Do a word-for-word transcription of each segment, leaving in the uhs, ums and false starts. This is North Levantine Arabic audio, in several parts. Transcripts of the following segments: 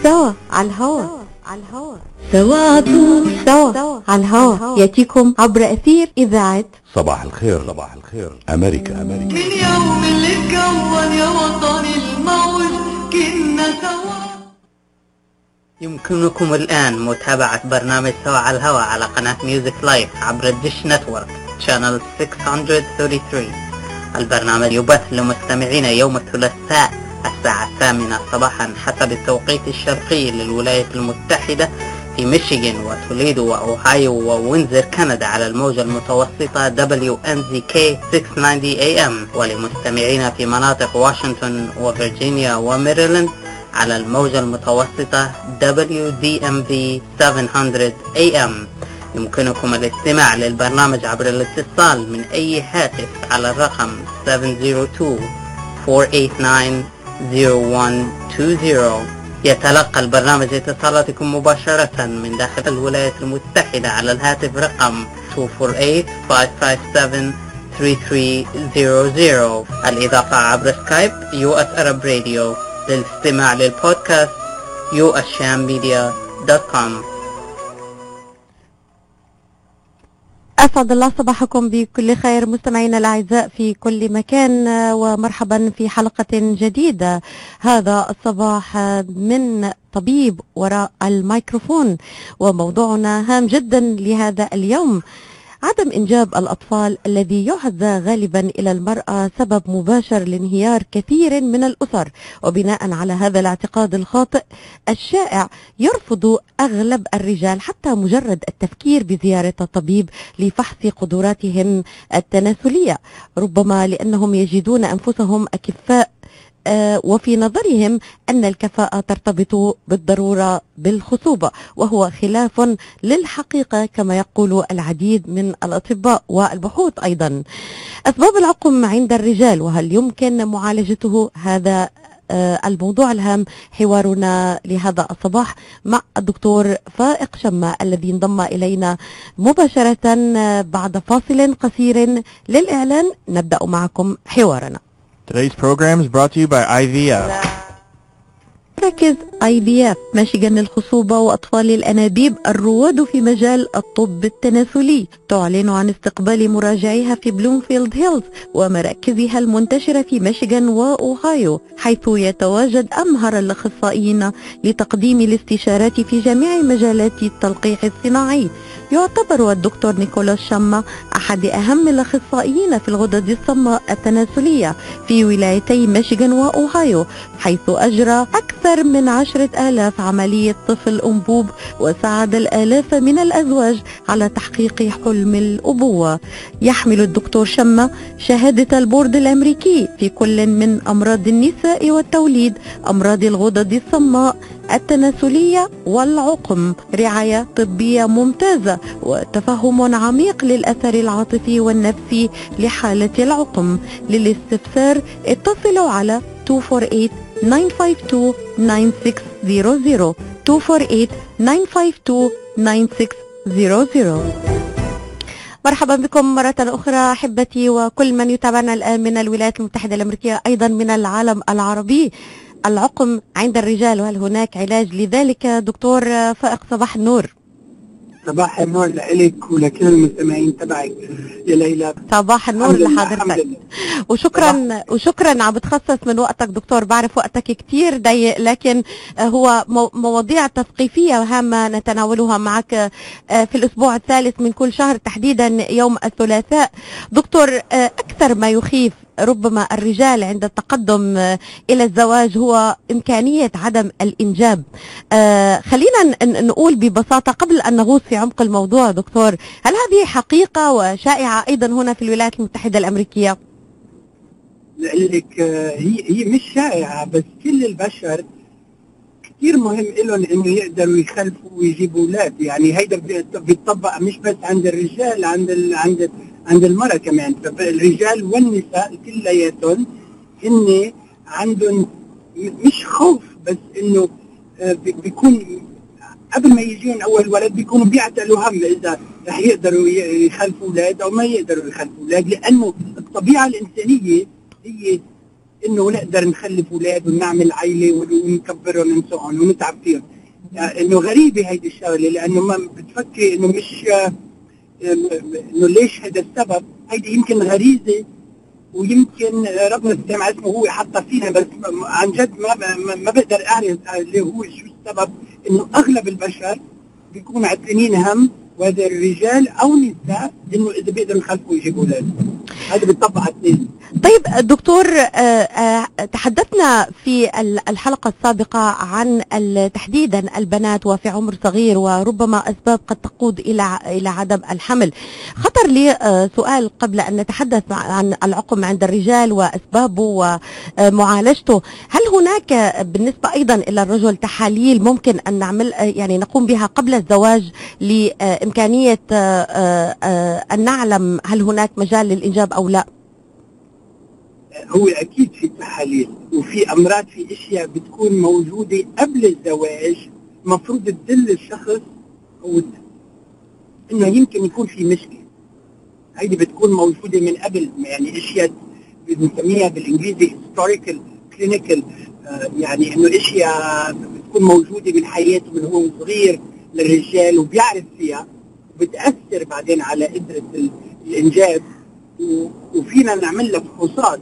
سوا على الهوا على الهوا سوا عطول سوا على الهوا ياتيكم عبر أثير إذاعة صباح الخير. صباح الخير أمريكا. أمريكا. من يوم اللي اتكون يا وطني الموج كنا سوا. يمكنكم الآن متابعة برنامج سوا على الهواء على قناة ميوزك لايف عبر الديش نتورك شانل ستمائة وثلاثة وثلاثين. البرنامج يبث لمستمعين يوم الثلاثاء الساعة الثامنة صباحا حسب التوقيت الشرقي للولايات المتحدة في ميشيغان وتوليدو وأوهايو ووينزر كندا على الموجة المتوسطة دبليو إن زد كي ستمائة وتسعين إيه إم، ولمستمعين في مناطق واشنطن وفرجينيا وميريلاند على الموجة المتوسطة دبليو دي إم في سبعمائة إيه إم. يمكنكم الاستماع للبرنامج عبر الاتصال من أي هاتف على الرقم سبعة صفر اثنين أربعة ثمانية تسعة صفر واحد اثنين صفر. يتلقى البرنامج اتصالاتكم مباشرة من داخل الولايات المتحدة على الهاتف رقم اثنين أربعة ثمانية خمسة خمسة سبعة ثلاثة ثلاثة صفر صفر. الإضافة عبر سكايب يو اس Arab Radio. للاستماع للبودكاست يو اس شام ميديا دوت كوم. أسعد الله صباحكم بكل خير مستمعينا الأعزاء في كل مكان، ومرحبا في حلقة جديدة هذا الصباح من طبيب وراء الميكروفون. وموضوعنا هام جدا لهذا اليوم: عدم إنجاب الأطفال الذي يعد غالبا إلى المرأة سبب مباشر لانهيار كثير من الأسر. وبناء على هذا الاعتقاد الخاطئ الشائع يرفض أغلب الرجال حتى مجرد التفكير بزيارة الطبيب لفحص قدراتهم التناسلية، ربما لأنهم يجدون أنفسهم أكفاء، آه وفي نظرهم أن الكفاءة ترتبط بالضرورة بالخصوبة، وهو خلاف للحقيقة كما يقول العديد من الأطباء والبحوث. أيضا أسباب العقم عند الرجال وهل يمكن معالجته؟ هذا آه الموضوع الهام حوارنا لهذا الصباح مع الدكتور فائق شمة الذي انضم إلينا مباشرة بعد فاصل قصير للإعلان. نبدأ معكم حوارنا. Today's program is brought to you by آي في إف. مراكز آي في إف ميشيغان للخصوبة وأطفال الأنابيب الرواد في مجال الطب التناسلي تعلن عن استقبال مراجعيها في بلومفيلد هيلز ومراكزها المنتشرة في ميشيغان وأوهايو، حيث يتواجد أمهر الأخصائيين لتقديم الاستشارات في جميع مجالات التلقيح الصناعي. يعتبر الدكتور نيكولاس شاما أحد أهم الأخصائيين في الغدد الصماء التناسلية في ولايتي ميشيغان وأوهايو، حيث أجرى أكثر من عشرة آلاف عملية طفل أنبوب وساعد الآلاف من الأزواج على تحقيق حلم الأبوة. يحمل الدكتور شاما شهادة البورد الأمريكي في كل من أمراض النساء والتوليد، أمراض الغدد الصماء التناسلية والعقم، رعاية طبية ممتازة وتفهم عميق للأثر العاطفي والنفسي لحالة العقم. للاستفسار اتصلوا على اثنين أربعة ثمانية تسعة اثنين تسعة ستة صفر صفر اثنين أربعة ثمانية تسعة اثنين تسعة ستة صفر. مرحبا بكم مرة أخرى أحبتي وكل من يتابعنا الآن من الولايات المتحدة الأمريكية، أيضا من العالم العربي. العقم عند الرجال وهل هناك علاج لذلك؟ دكتور فائق صباح النور. صباح النور لك ولكل المستمعين تبعك يا ليلى. صباح النور لحضرتك وشكرا وشكرا عم بتخصص من وقتك دكتور، بعرف وقتك كتير ضيق لكن هو مواضيع تثقيفية هامة نتناولها معك في الأسبوع الثالث من كل شهر تحديدا يوم الثلاثاء. دكتور، أكثر ما يخيف ربما الرجال عند التقدم إلى الزواج هو إمكانية عدم الإنجاب. آه خلينا نقول ببساطة قبل أن نغوص في عمق الموضوع دكتور، هل هذه حقيقة وشائعة أيضا هنا في الولايات المتحدة الأمريكية؟ لك هي هي مش شائعة، بس كل البشر كثير مهم لهم إنه يقدروا يخلفوا ويجيبوا أولاد. يعني هيدا بيطبق مش بس عند الرجال، عند ال عند عند المرأة كمان. الرجال والنساء كلياتهم هن عندهم مش خوف، بس إنه بيكون قبل ما يجيهم أول ولد بيكونوا بيعتلوا هم إذا رح يقدروا يخلفوا أولاد أو ما يقدروا يخلفوا أولاد، لأنه الطبيعة الإنسانية هي انه نقدر نخلف اولاد ونعمل عائله ونكبرهم ونسوقهم ونتعب فيهم. يعني انه غريبه هيدي الشغله، لانه ما بتفكري انه مش انه ليش هذا السبب. هيدي يمكن غريزه ويمكن ربنا سبحانه اسمه هو حطها فينا، بس عن جد ما ما, ما بقدر اعرف اللي هو شو السبب. انه اغلب البشر بيكونوا عتلانين هم، وهذا الرجال او النساء، انه اذا بيقدروا يخلفوا يجيبوا اولاد. هذا بيطبق على الاثنين. طيب دكتور، تحدثنا في الحلقة السابقة عن تحديدا البنات وفي عمر صغير وربما أسباب قد تقود إلى إلى عدم الحمل. خطر لي سؤال قبل أن نتحدث عن العقم عند الرجال وأسبابه ومعالجته. هل هناك بالنسبة أيضا إلى الرجل تحاليل ممكن أن نعمل يعني نقوم بها قبل الزواج لإمكانية أن نعلم هل هناك مجال للإنجاب أو لا؟ هو اكيد في تحاليل وفي امراض، في اشياء بتكون موجوده قبل الزواج المفروض تدل الشخص او انه يمكن يكون في مشكله. هيدي بتكون موجوده من قبل، يعني اشياء بنسميها بالانجليزي historical clinical، آه يعني انه اشياء بتكون موجوده من حياته من هو صغير للرجال وبيعرف فيها وبتاثر بعدين على قدره الانجاب، وفينا نعمل لها فحوصات.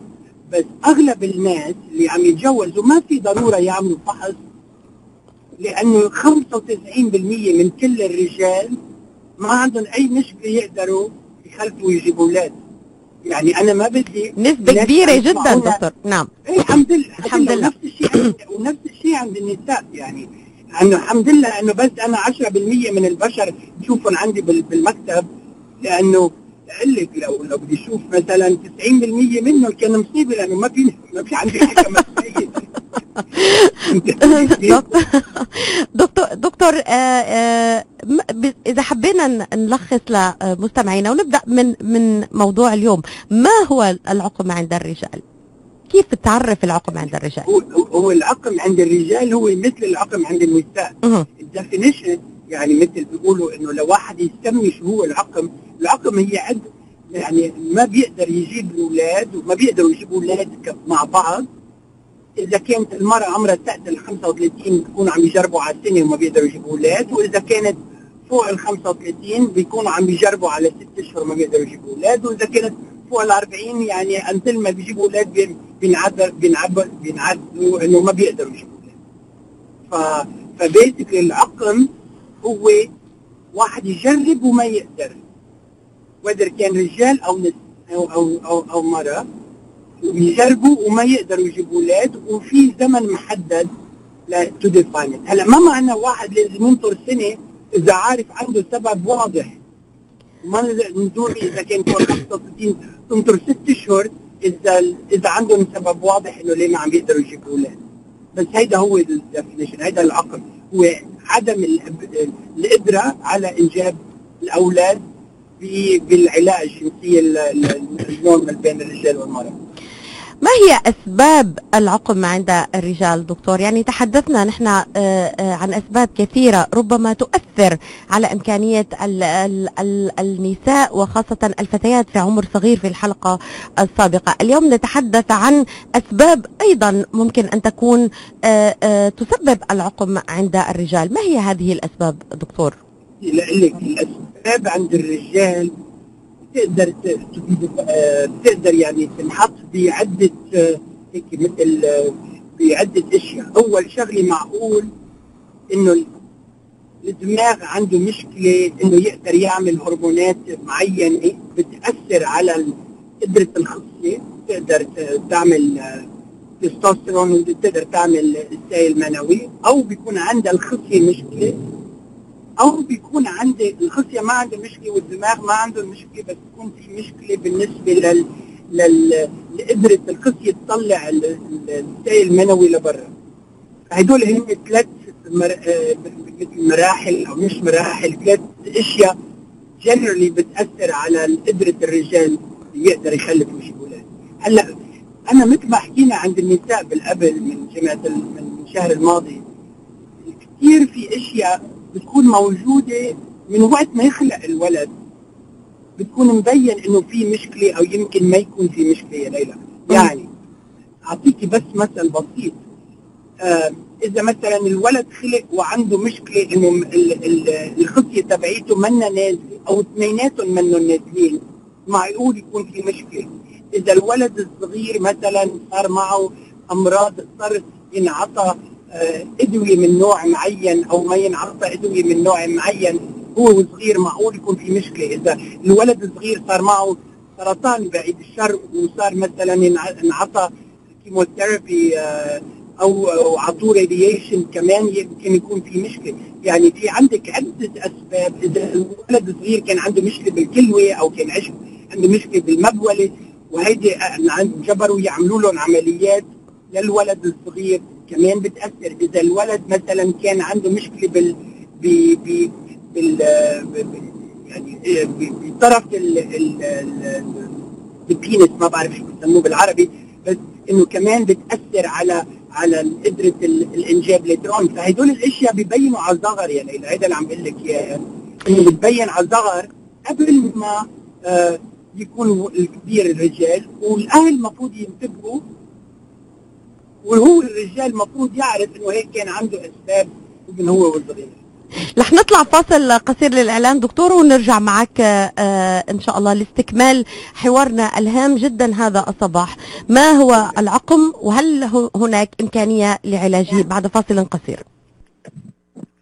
بس اغلب الناس اللي عم يتجوزوا ما في ضروره يعملوا فحص، لانه خمسة وتسعين بالمئة من كل الرجال ما عندهم اي مشكله يقدروا يخلفوا ويجيبوا اولاد. يعني انا ما بدي نسبه كبيره جدا دكتور. نعم ايه الحمد لله الحمد لله. ونفس الشيء ونفس الشيء عند النساء، يعني انه الحمد لله انه بس انا عشرة بالمئة من البشر بشوفهم عندي بالمكتب، لانه اقول لك لو لو بدي اشوف مثلا تسعين بالمئة منهم كان مصيبه، لانه ما في ما في عندي حكمه مسؤوليه. دكتور دكتور آه آه اذا حبينا نلخص لمستمعينا ونبدا من من موضوع اليوم، ما هو العقم عند الرجال؟ كيف تعرف العقم عند الرجال؟ هو, هو العقم عند الرجال هو مثل العقم عند النساء. الديفينيشن يعني مثل بيقولوا انه لو واحد يسمي شو هو العقم، العقم هي عد يعني ما بيقدر يجيب الاولاد وما بيقدروا يجيبوا اولاد مع بعض. اذا كانت المراه عمرها تحت ال خمسة وثلاثين بيكونوا عم يجربوا على السنه وما بيقدروا يجيبوا اولاد، واذا كانت فوق ال خمسة وثلاثين بيكونوا عم يجربوا على ست اشهر وما بيقدروا يجيبوا اولاد، واذا كانت فوق ال أربعين يعني انتل ما بيجيبوا اولاد بينعذر بينعذر بينعذروا انه ما بيقدروا يجيبوا اولاد. ف فبيتك العقم هو واحد يجرب وما يقدر، وإذا كان رجال او نس او او او, أو مرأة، ويجربوا وما يقدروا يجيبوا اولاد، وفي زمن محدد لا تو ديفاين. هلا ما معنى واحد لازم ينطر سنه اذا عارف عنده سبب واضح، ما نزور اذا كان فوق خمسة وستين تنطر ست اشهر اذا اذا عندهم سبب واضح انه ليه ما عم يقدروا يجيبوا اولاد. بس هيدا هو الديفينيشن، هيدا العقم هو عدم القدره على انجاب الاولاد بالعلاقه الجنسيه النورمال بين الرجال والمراه. ما هي أسباب العقم عند الرجال دكتور؟ يعني تحدثنا نحن عن أسباب كثيرة ربما تؤثر على إمكانية ال ال ال النساء وخاصة الفتيات في عمر صغير في الحلقة السابقة. اليوم نتحدث عن أسباب أيضا ممكن أن تكون تسبب العقم عند الرجال. ما هي هذه الأسباب دكتور؟ لك الأسباب عند الرجال تقدر تقدر يعني تنحط بعدة هيك مثل بعدة اشياء. اول شغله معقول انه الدماغ عنده مشكله انه يقدر يعمل هرمونات معينه بتاثر على قدره الخصيه، تقدر تعمل تستوستيرون وتقدر تعمل السائل المنوي، او بيكون عندها الخصيه مشكله، او بيكون عندي الخصيه ما عنده مشكله والدماغ ما عنده مشكله، بس تكون في مشكله بالنسبه لل لل لقدره الخصيه تطلع السائل المنوي لبرا. هدول هم ثلاث مر... مثل مراحل او مش مراحل، ثلاث اشياء جنرالي بتاثر على قدره الرجال يقدر يخلف ويجيب اولاد. هلا انا مثل ما حكينا عند النساء بالقبل من جماعه من الشهر الماضي، كثير في اشياء بتكون موجودة من وقت ما يخلق الولد، بتكون مبين انه في مشكلة او يمكن ما يكون في مشكلة يا ليلى. يعني اعطيكي بس مثل بسيط. آه اذا مثلا الولد خلق وعنده مشكله انه ال- ال- الخصيه تبعيته منا نازله او اثنيناتهم منهم نازلين، معقول يكون في مشكله. اذا الولد الصغير مثلا صار معه امراض، اضطر ينعطى آه ادويه من نوع معين او ما ينعطى ادويه من نوع معين هو صغير، معقول يكون في مشكله. اذا الولد الصغير صار معه سرطان بعيد الشر وصار مثلا ينعطى كيموثيرابي آه او او عطوه راديشن كمان يمكن يكون في مشكله. يعني في عندك عده اسباب. اذا الولد الصغير كان عنده مشكله بالكلوه او كان عنده مشكله بالمبوله وهيدي جبروا يعملوا لهم عمليات للولد الصغير كمان بتاثر. اذا الولد مثلا كان عنده مشكله بال ب ب بال يعني بطرف البينس، ما بعرف شو بسموه بالعربي، بس انه كمان بتاثر على على قدره الانجاب لترون. فهدول الاشياء ببينوا على الصغر. يعني هيدا اللي عم بقول لك اياه، انه بتبين على الصغر قبل ما آه يكون الكبير الرجال. والاهل المفروض ينتبهوا، وهو الرجال المفروض يعرف انه هيك كان عنده اسباب من هو والصغير. رح نطلع فاصل قصير للإعلان دكتور ونرجع معك آه إن شاء الله لاستكمال حوارنا الهام جدا هذا الصباح. ما هو العقم وهل هناك إمكانية لعلاجه؟ بعد فاصل قصير.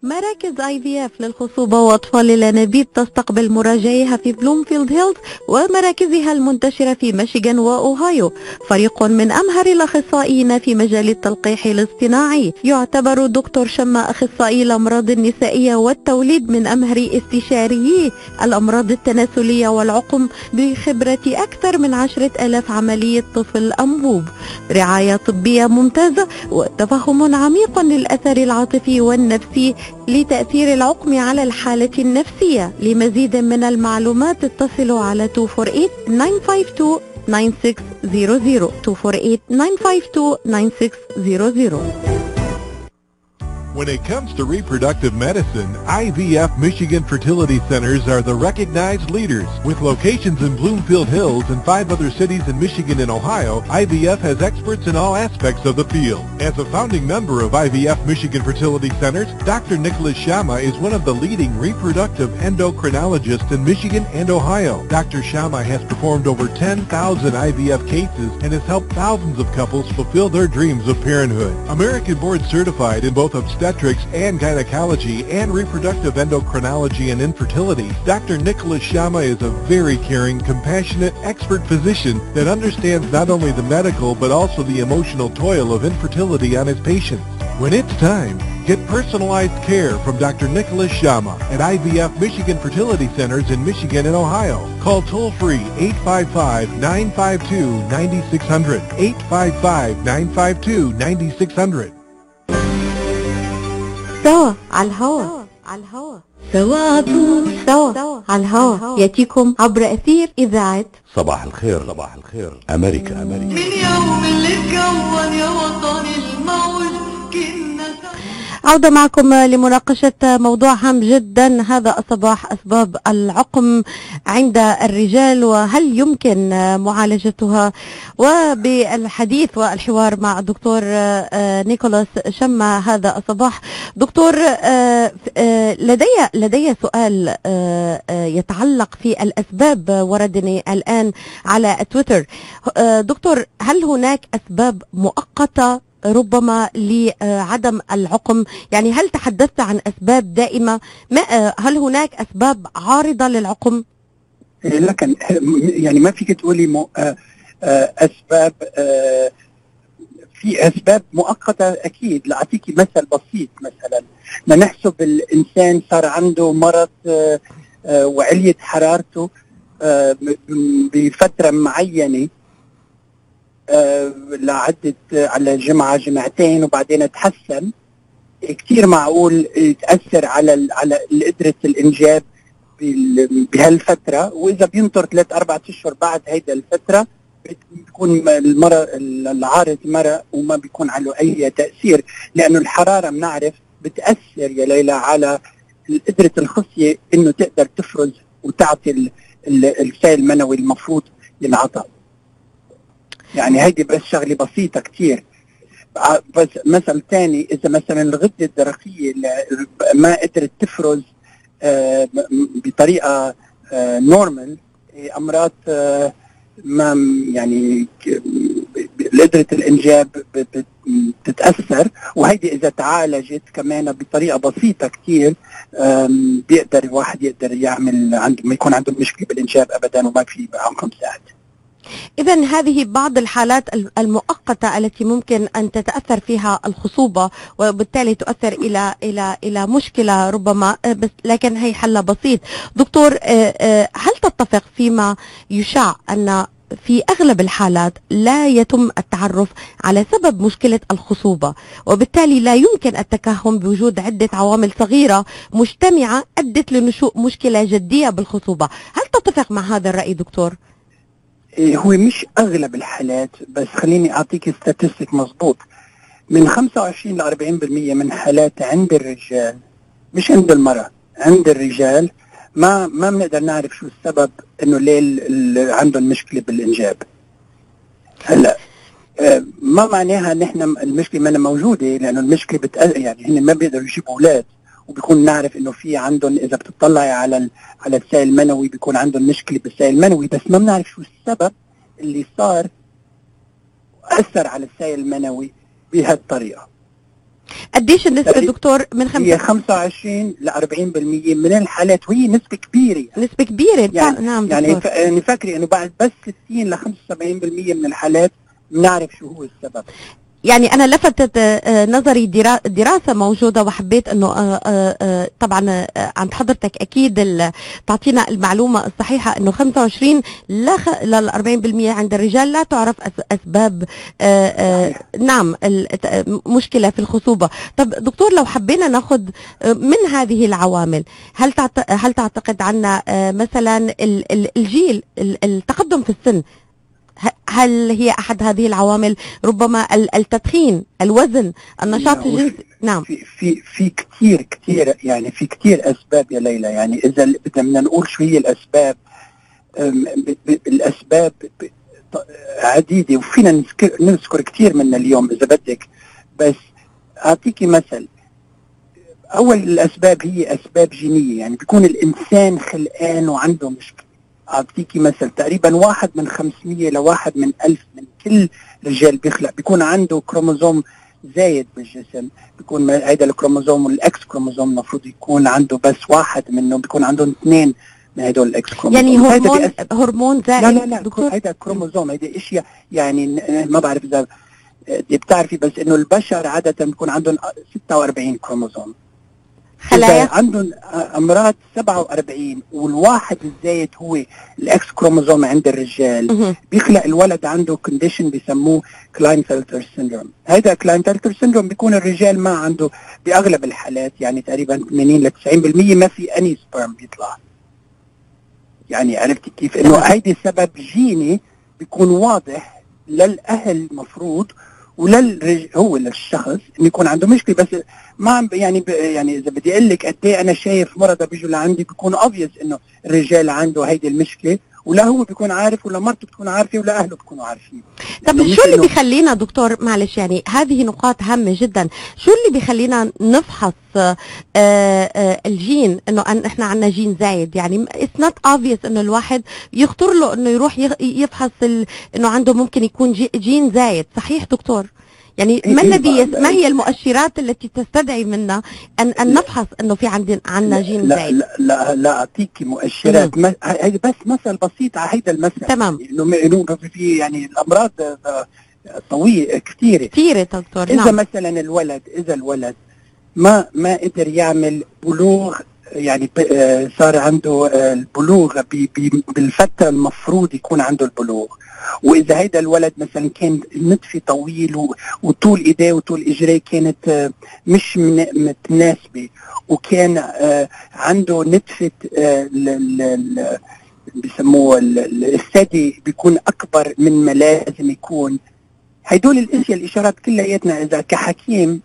مراكز آي في إف للخصوبة وأطفال الأنابيب تستقبل مراجعيها في بلومفيلد هيلز ومراكزها المنتشرة في ميشيغان وأوهايو. فريق من أمهر الأخصائيين في مجال التلقيح الاصطناعي. يعتبر دكتور شما أخصائي الأمراض النسائية والتوليد من أمهر استشاريي الأمراض التناسلية والعقم بخبرة أكثر من عشرة آلاف عملية طفل أنبوب. رعاية طبية ممتازة وتفهم عميق للأثر العاطفي والنفسي لتأثير العقم على الحالة النفسية. لمزيد من المعلومات اتصلوا على اثنين أربعة ثمانية تسعة اثنين تسعة ستة صفر صفر اثنين أربعة ثمانية تسعة اثنين تسعة صفر صفر. When it comes to reproductive medicine, I V F Michigan Fertility Centers are the recognized leaders. With locations in Bloomfield Hills and five other cities in Michigan and Ohio, I V F has experts in all aspects of the field. As a founding member of I V F Michigan Fertility Centers, Doctor Nicholas Shama is one of the leading reproductive endocrinologists in Michigan and Ohio. Doctor Shama has performed over ten thousand I V F cases and has helped thousands of couples fulfill their dreams of parenthood. American board certified in both obstetrics and gynecology and reproductive endocrinology and infertility, Doctor Nicholas Shama is a very caring, compassionate, expert physician that understands not only the medical but also the emotional toil of infertility on his patients. When it's time, get personalized care from Doctor Nicholas Shama at I V F Michigan Fertility Centers in Michigan and Ohio. Call toll-free eight five five, nine five two, nine six zero zero, eight five five, nine five two, nine six zero zero. سوا على الهوا على الهوا سوا سوا على الهوا يأتيكم عبر أثير إذاعة صباح الخير. صباح الخير أمريكا. أمريكا. من يوم اللي اتكون يا وطني الموج كنا عودة معكم لمناقشة موضوع هام جدا هذا الصباح، أسباب العقم عند الرجال وهل يمكن معالجتها، وبالحديث والحوار مع الدكتور نيكولاس شما هذا الصباح. دكتور لدي لدي سؤال يتعلق في الأسباب، وردني الآن على تويتر. دكتور، هل هناك أسباب مؤقتة ربما لعدم العقم؟ يعني هل تحدثت عن أسباب دائمة؟ ما هل هناك أسباب عارضة للعقم؟ لكن يعني ما فيك تقولي مو أسباب، في أسباب مؤقتة أكيد. لأعطيكي مثل بسيط، مثلا ما نحسب الإنسان صار عنده مرض وعلية حرارته بفترة معينة آه لعدت على جمعة جمعتين وبعدين تحسن، كتير معقول يتأثر على على قدرة الإنجاب بهالفترة. وإذا بينطر ثلاث أربعة أشهر بعد هيدا الفترة بيكون المرض العارض مرض وما بيكون له أي تأثير، لأنه الحرارة بنعرف بتأثر يا ليلى على قدرة الخصية إنه تقدر تفرز وتعطي السائل المنوي المفروض ينعطى. يعني هيدي بس شغله بسيطه كتير. بس مثل تاني، اذا مثلا الغده الدرقيه ما قدرت تفرز آه بطريقه آه نورمال امراض آه ما يعني قدرة الانجاب بتتاثر، وهيدي اذا تعالجت كمان بطريقه بسيطه كتير بيقدر الواحد يقدر يعمل عنده ما يكون عنده مشكله بالانجاب ابدا وما في معهم ساعد. إذن هذه بعض الحالات المؤقتة التي ممكن أن تتأثر فيها الخصوبة وبالتالي تؤثر إلى إلى إلى مشكلة ربما، بس لكن هي حل بسيط. دكتور، هل تتفق فيما يشاع أن في أغلب الحالات لا يتم التعرف على سبب مشكلة الخصوبة، وبالتالي لا يمكن التكهن بوجود عدة عوامل صغيرة مجتمعة أدت لنشوء مشكلة جدية بالخصوبة؟ هل تتفق مع هذا الرأي دكتور؟ هو مش أغلب الحالات، بس خليني أعطيك ستاتستيك مظبوط. من خمسة وعشرين ل أربعين بالمية من حالات عند الرجال، مش عند المرأة، عند الرجال ما ما بنقدر نعرف شو السبب انه ليه عندهم مشكله بالانجاب. هلا ما معناها ان احنا المشكله ما موجوده، لانه المشكله بتقل يعني هن ما بيقدروا يجيبوا اولاد، وبيكون نعرف انه في عندهم اذا بتطلعي على على السائل المنوي بيكون عندهم مشكله بالسائل المنوي، بس ما بنعرف شو السبب اللي صار اثر على السائل المنوي بهالطريقه. قديش النسبة دكتور؟ من خمسة هي خمسة وعشرين ل أربعين بالمية من الحالات، وهي نسبة كبيرة يعني. نسبة كبيرة يعني نعم يعني دكتور. يعني فاكري انه بعد بس ستين ل خمسة وسبعين بالمية من الحالات بنعرف شو هو السبب. يعني أنا لفتت نظري دراسة موجودة وحبيت أنه طبعا عند حضرتك أكيد تعطينا المعلومة الصحيحة، أنه خمسة وعشرين ل أربعين بالمية عند الرجال لا تعرف أسباب نعم مشكلة في الخصوبة. طب دكتور، لو حبينا ناخذ من هذه العوامل، هل هل تعتقد عنا مثلا الجيل التقدم في السن، هل هي أحد هذه العوامل؟ ربما التدخين، الوزن، النشاط الجنسي. نعم في في في كثير كثير يعني في كثير أسباب يا ليلى. يعني إذا بدنا نقول شو هي الأسباب، الأسباب عديدة وفينا نذكر نذكر كثير منها اليوم إذا بدك، بس أعطيكي مثل. أول الأسباب هي أسباب جينية، يعني بيكون الإنسان خلقان وعنده مشكلة. أعطيكي مثل، تقريبا واحد من خمسمية لواحد من ألف من كل رجال بيخلق بيكون عنده كروموزوم زايد بالجسم، بيكون هيدا الكروموزوم والإكس كروموزوم المفروض يكون عنده بس واحد منه، بيكون عندهم اثنين من هدول الإكس كروموزوم. يعني هرمون هرمون زائد؟ لا لا لا دكتور، هيدا كروموزوم، هيدا اشياء يعني ما بعرف إذا بتعرفي، بس إنه البشر عادة بيكون عندهم ستة وأربعين كروموزوم، خلايا عندهم امراض سبعة وأربعين، والواحد الزايد هو الاكس كروموزوم عند الرجال بيخلق الولد عنده كونديشن بيسموه كلاينفلتر سيندروم. هيدا كلاينفلتر سيندروم بيكون الرجال ما عنده باغلب الحالات، يعني تقريبا ثمانين ل تسعين بالمية ما في اني سبرم بيطلع. يعني عرفتي كيف انه هيدي سبب جيني بيكون واضح للاهل مفروض وللرج هو للشخص انه يكون عنده مشكله، بس ما يعني ب... يعني اذا بدي اقول لك قد ايه انا شايف مرضى بيجوا لعندي بيكون اوبفيس انه الرجال عنده هيدي المشكله، ولا هو بيكون عارف ولا مرته بتكون عارفه ولا اهله بيكونوا عارفين. طب شو اللي بيخلينا دكتور، معلش يعني هذه نقاط هامه جدا، شو اللي بيخلينا نفحص آآ آآ الجين انه أن احنا عندنا جين زايد؟ يعني اتس نوت اوبفيس انه الواحد يخطر له انه يروح يفحص انه عنده ممكن يكون جي جين زايد، صحيح دكتور؟ يعني ما الذي ما هي المؤشرات التي تستدعي منا ان ان نفحص انه في عندنا عندنا جين زايد؟ لا لا لا اعطيكي مؤشرات، هي بس مثل بسيط على هيدا المثل. تمام. انه في يعني الامراض طويله كثيره كثيره دكتور. اذا نعم. مثلا الولد اذا الولد ما ما قدر يعمل بلوغ، يعني صار عنده البلوغ بالفتره المفروض يكون عنده البلوغ، واذا هيدا الولد مثلا كان نتفه طويل وطول ايديه وطول اجريه كانت مش متناسبه، وكان عنده نتفه بيسموه الثدي بيكون اكبر من ما لازم يكون، هدول الاشياء الاشارات كلياتنا اذا كحكيم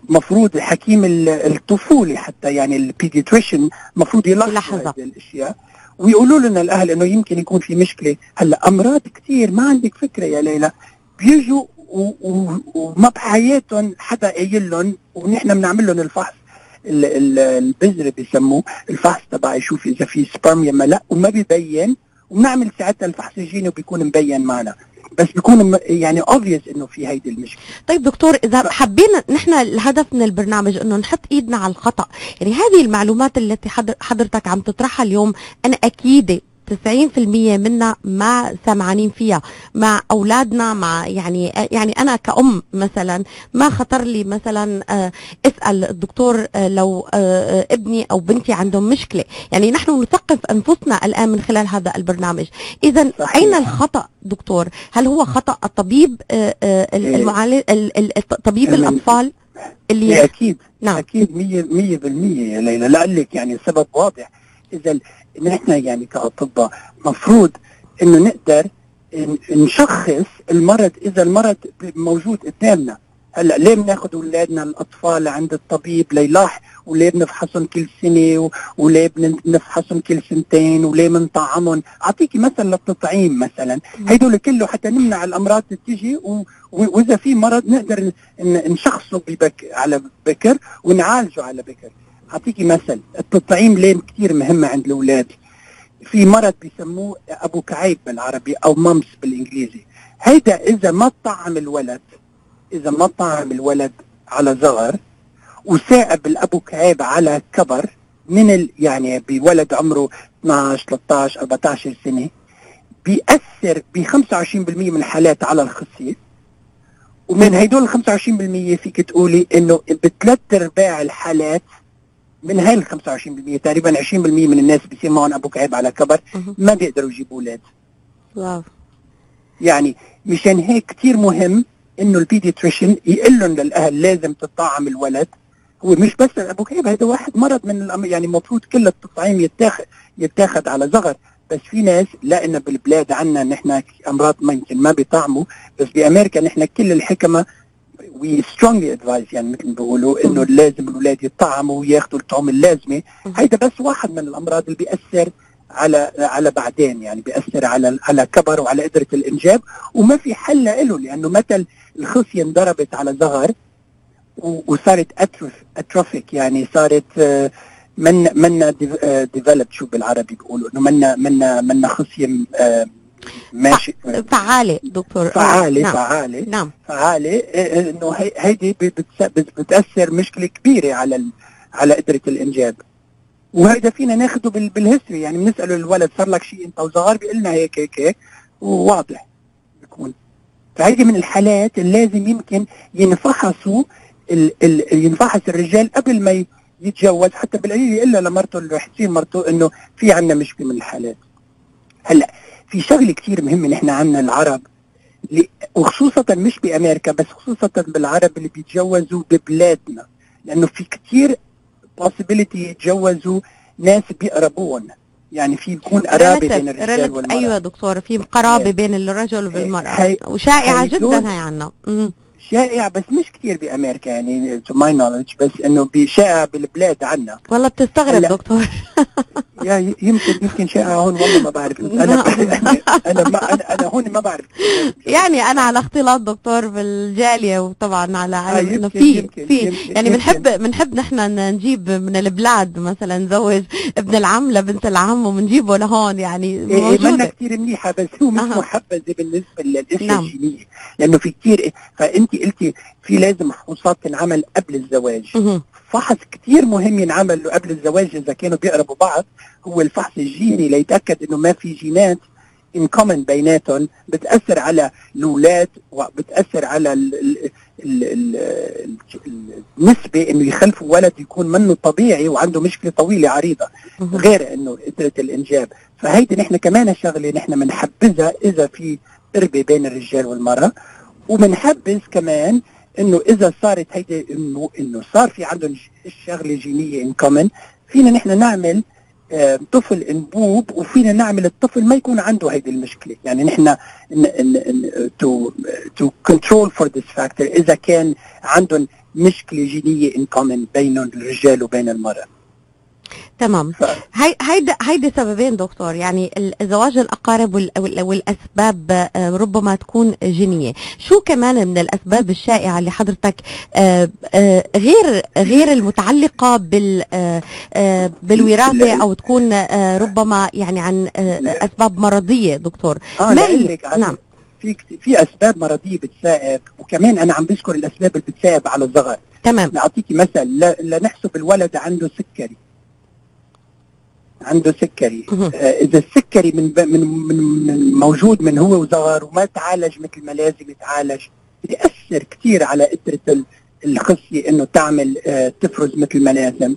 مفروض حكيم الطفولي حتى يعني البيدياتريشن مفروض يلاحظ هذه الاشياء، ويقولوا لنا الاهل انه يمكن يكون في مشكله. هلا امراض كثير ما عندك فكره يا ليلى بيجوا وما بحياتهم حدا قايل لهم، ونحن بنعمل لهم الفحص البذره بيسموه الفحص تبع يشوف اذا في سبرم يا لا، وما بيبين، وبنعمل ساعتها الفحص الجيني وبيكون مبين معنا، بس بيكون يعني obvious انه في هيدي المشكله. طيب دكتور، اذا حبينا نحن الهدف من البرنامج انه نحط ايدنا على الخطا، يعني هذه المعلومات التي حضرتك عم تطرحها اليوم انا اكيده تسعين بالمية منا ما سمعانين فيها مع اولادنا، مع يعني يعني انا كأم مثلا ما خطر لي مثلا اسال الدكتور لو ابني او بنتي عندهم مشكله، يعني نحن نثقف انفسنا الان من خلال هذا البرنامج. اذا اين الخطا دكتور؟ هل هو خطا الطبيب المعالج طبيب الاطفال اللي اكيد نعم. اكيد مية بالمية يا ليلى، لقلك يعني السبب واضح. اذا نحن يعني كأطباء مفروض انه نقدر نشخص المرض اذا المرض موجود قدامنا. هلا ليه بناخذ اولادنا الاطفال عند الطبيب ليلاح، وليه بنفحصهم كل سنه، وليه بنفحصهم كل سنتين، وليه بنطعمهم؟ اعطيكي مثل للتطعيم مثلا، هدول كله حتى نمنع الامراض تجي، واذا في مرض نقدر نشخصه ببك على بكر ونعالجه على بكر. اعطيكي مثل التطعيم ليه كثير مهمه عند الاولاد. في مرض بيسموه ابو كعيب بالعربي او مامس بالانجليزي، هيدا اذا ما طعم الولد اذا ما طعم الولد على صغر وثاقب الابو كعيب على كبر من ال يعني بولد عمره اثنعش ثلاثطعش أربعطعش سنه، بيأثر ب خمسة وعشرين بالمية من الحالات على الخصيه. ومن هيدول ال خمسة وعشرين بالمية فيك تقولي انه بثلاث ارباع الحالات من هاي ال خمسة وعشرين بالمية تقريبا عشرين بالمية من الناس بيصير معهم ابو كعيب على كبر ما بيقدروا يجيبوا اولاد. واو. يعني مشان هيك كثير مهم انه البيدياتريشن يقول لهم للاهل لازم تطعم الولد. هو مش بس ابو كعيب، هذا واحد مرض من الأم... يعني المفروض كل التطعيم يتاخذ يتاخذ على صغر، بس في ناس لأن بالبلاد عنا نحن امراض ممكن ما بيطعموا، بس بامريكا نحن كل الحكمه we strongly advise يعني مثل ما بيقولوا انه لازم الاولاد يطعموا وياخذوا الطعم اللازمه. هيدا بس واحد من الامراض اللي بيأثر على على بعدين، يعني بيأثر على على كبر وعلى قدره الانجاب، وما في حل له، لانه متى الخصيه انضربت على صغر وصارت اتروف اتروفيك يعني صارت من من ديفلوب شو بالعربي بيقولوا انه منا منا منا خصيه ماشي فعالة دكتور فعالة نعم. فعالة نعم. فعالة انه هيدي بتأثر مشكلة كبيرة على على قدرة الانجاب. وهيدا فينا ناخده بالهيستوري، يعني بنسأله الولد صار لك شيء انت وصغار بيقول لنا هيك هيك هيك وواضح بيكون. فهيدي من الحالات اللي لازم يمكن ينفحصوا ال ال ينفحص الرجال قبل ما يتجوز، حتى بالقليل يقول له لمرته اللي رح تصير مرته انه في عندنا مشكلة من الحالات. هلا في شغله كثير مهمه نحن عنا العرب، وخصوصا مش بامريكا بس خصوصا بالعرب اللي بيتجوزوا ببلادنا، لانه في كثير possibility يتجوزوا ناس بيقربون، يعني في يكون قرابه بين الرجال والمرأة. ايوه دكتور، في قرابه بين الرجل والمرأة وشائعه جدا هي عنا. شائع بس مش كثير بامريكا يعني to my knowledge، بس انه شائع بالبلاد عنا. والله بتستغرب دكتور. يا يمكن يمكن شائع هون والله ما بعرف. انا انا ما انا, أنا هون ما بعرف يعني انا على اختلاط دكتور بالجاليه، وطبعا على علم انه في في يعني بنحب بنحب نحن نجيب من البلاد مثلا نزوج ابن العم لبنت العم وبنجيبه لهون، يعني موجوده. منا كثير منيحه بس هو مش آه. محبذه بالنسبه للاشياء الجينيه، لانه في كثير. فانت قلتي في لازم فحوصات تنعمل قبل الزواج. م- فحص كثير مهم ينعمل له قبل الزواج اذا كانوا بيقربوا بعض، هو الفحص الجيني ليتاكد انه ما في جينات ان كومن بيناتهم بتاثر على الاولاد وبتاثر على ال ال ال ال النسبه انه يخلفوا ولد يكون منه طبيعي وعنده مشكله طويله عريضه غير انه قدره الانجاب. فهيدي نحن كمان شغله نحن بنحبذها اذا في قربه بين الرجال والمراه، وبنحبذ كمان انه اذا صارت هيدي انه انه صار في عندهم شغله جينيه ان كومن، فينا نحن نعمل آه طفل انبوب، وفينا نعمل الطفل ما يكون عنده هيدي المشكله. يعني نحن تو تو كنترول فور ذس فاكتور اذا كان عندهم مشكله جينيه ان كومن بين الرجال وبين المراه. تمام. هاي هيدا هيدا سببين دكتور، يعني الزواج الأقارب وال- وال- والأسباب آه، ربما تكون جينية. شو كمان من الأسباب الشائعة اللي حضرتك آه، آه، غير غير المتعلقة بال آه، آه، بالوراثة أو تكون آه، ربما يعني عن آه، أسباب مرضية دكتور؟ اه ما هي؟ لك نعم. في كت- في اسباب مرضيه بتساعد، وكمان انا عم بذكر الاسباب اللي بتساعد على الصغر. تمام. نعطيكي مثل، ل- لنحسب الولد عنده سكري عنده سكري مهم. آه اذا السكري من, ب- من من من موجود من هو وصغر وما تعالج مثل ما لازم يتعالج، بيأثر كثير على قدرة ال- الخصية انه تعمل آه تفرز مثل ما لازم.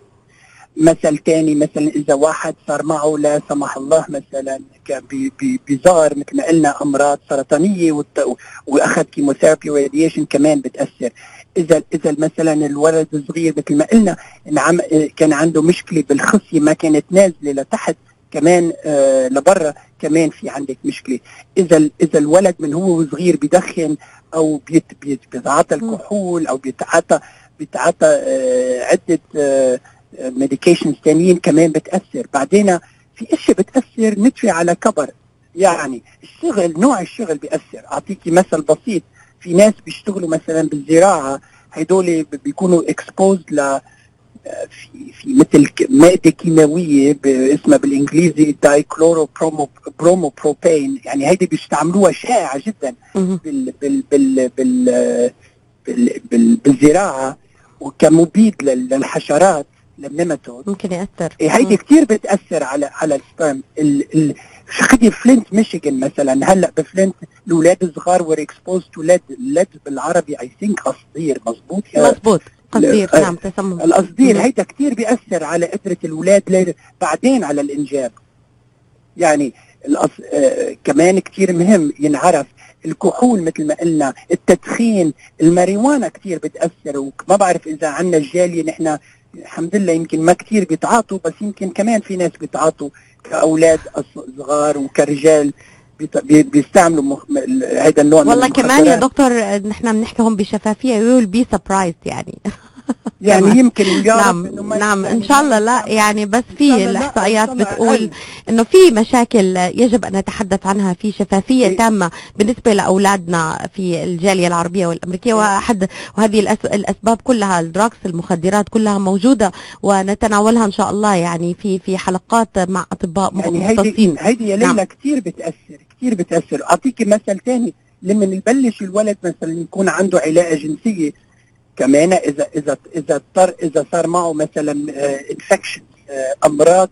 مثل تاني، مثلا اذا واحد صار معه لا سمح الله مثلا ك- ب- ب- بصغر مثل ما قلنا امراض سرطانيه والت- واخذ كيموثيرابي وراديشن كمان بتاثر. اذا اذا مثلا الولد الصغير مثل ما قلنا إن عم كان عنده مشكله بالخصيه ما كانت نازله لتحت كمان آه لبرا، كمان في عندك مشكله. اذا ال- اذا الولد من هو صغير بيدخن او بيت بيت بيتعاطى الكحول او بيتعاطى بيتعاطى آه عده آه ميديكيشنز تانيين كمان بتأثر. بعدين في اشياء بتأثر ندفع على كبر، يعني الشغل نوع الشغل بيأثر. اعطيكي مثل بسيط، في ناس بيشتغلوا مثلا بالزراعة، هيدول بيكونوا اكسبوزد ل في في مثل ك- مادة كيماوية ب- اسمها بالانجليزي دايكلورو برومو برومو بروبين، يعني هيدي بيستعملوها شائعة جدا مهم. بال بال بال بال بال بال بالزراعة وكمبيد لل- للحشرات للنماتود. ممكن يأثر. إيه هيدي كتير بتأثر على على السبرم. ال ال خدي فلينت ميشيغان مثلا، هلا بفلينت الاولاد الصغار were exposed to lead lead بالعربي اي ثينك قصدير، مظبوط يا مظبوط. قصدير. لا، نعم. تسمم. القصدير. مهم. هيدا كتير بيأثر على قدرة الأولاد لي- بعدين على الإنجاب. يعني الأص... آه كمان كتير مهم ينعرف الكحول مثل ما قلنا، التدخين، الماريوانا كتير بتأثر. وما بعرف إذا عنا الجالية نحن الحمد لله يمكن ما كتير بيتعاطوا، بس يمكن كمان في ناس بيتعاطوا كأولاد أص- صغار وكرجال بيت... بي... بيستعملوا مخ... هيدا النوع من والله كمان يا المخدرات. دكتور نحن بنحكي هون بشفافية we will be surprised يعني. يعني كمان. يمكن يا رب نعم إنه ما نعم يعني ان شاء الله. لا يستعمل- يعني بس إن شاء في الله لا، الاحصائيات إن شاء الله بتقول أقل. انه في مشاكل يجب ان نتحدث عنها في شفافيه إيه. تامه بالنسبه لاولادنا في الجاليه العربيه والامريكيه. واحد وهذه الأس- الاسباب كلها الدراكس المخدرات كلها موجوده ونتناولها ان شاء الله يعني في في حلقات مع اطباء يعني هيدي مختصين. هيدي يا نعم. ليلى كثير بتاثر كثير بتاثر. اعطيكي مثل ثاني، لما يبلش الولد مثلا يكون عنده علاقه جنسيه كمان، اذا اذا اذا اضطر اذا صار معه مثلا انفكشن امراض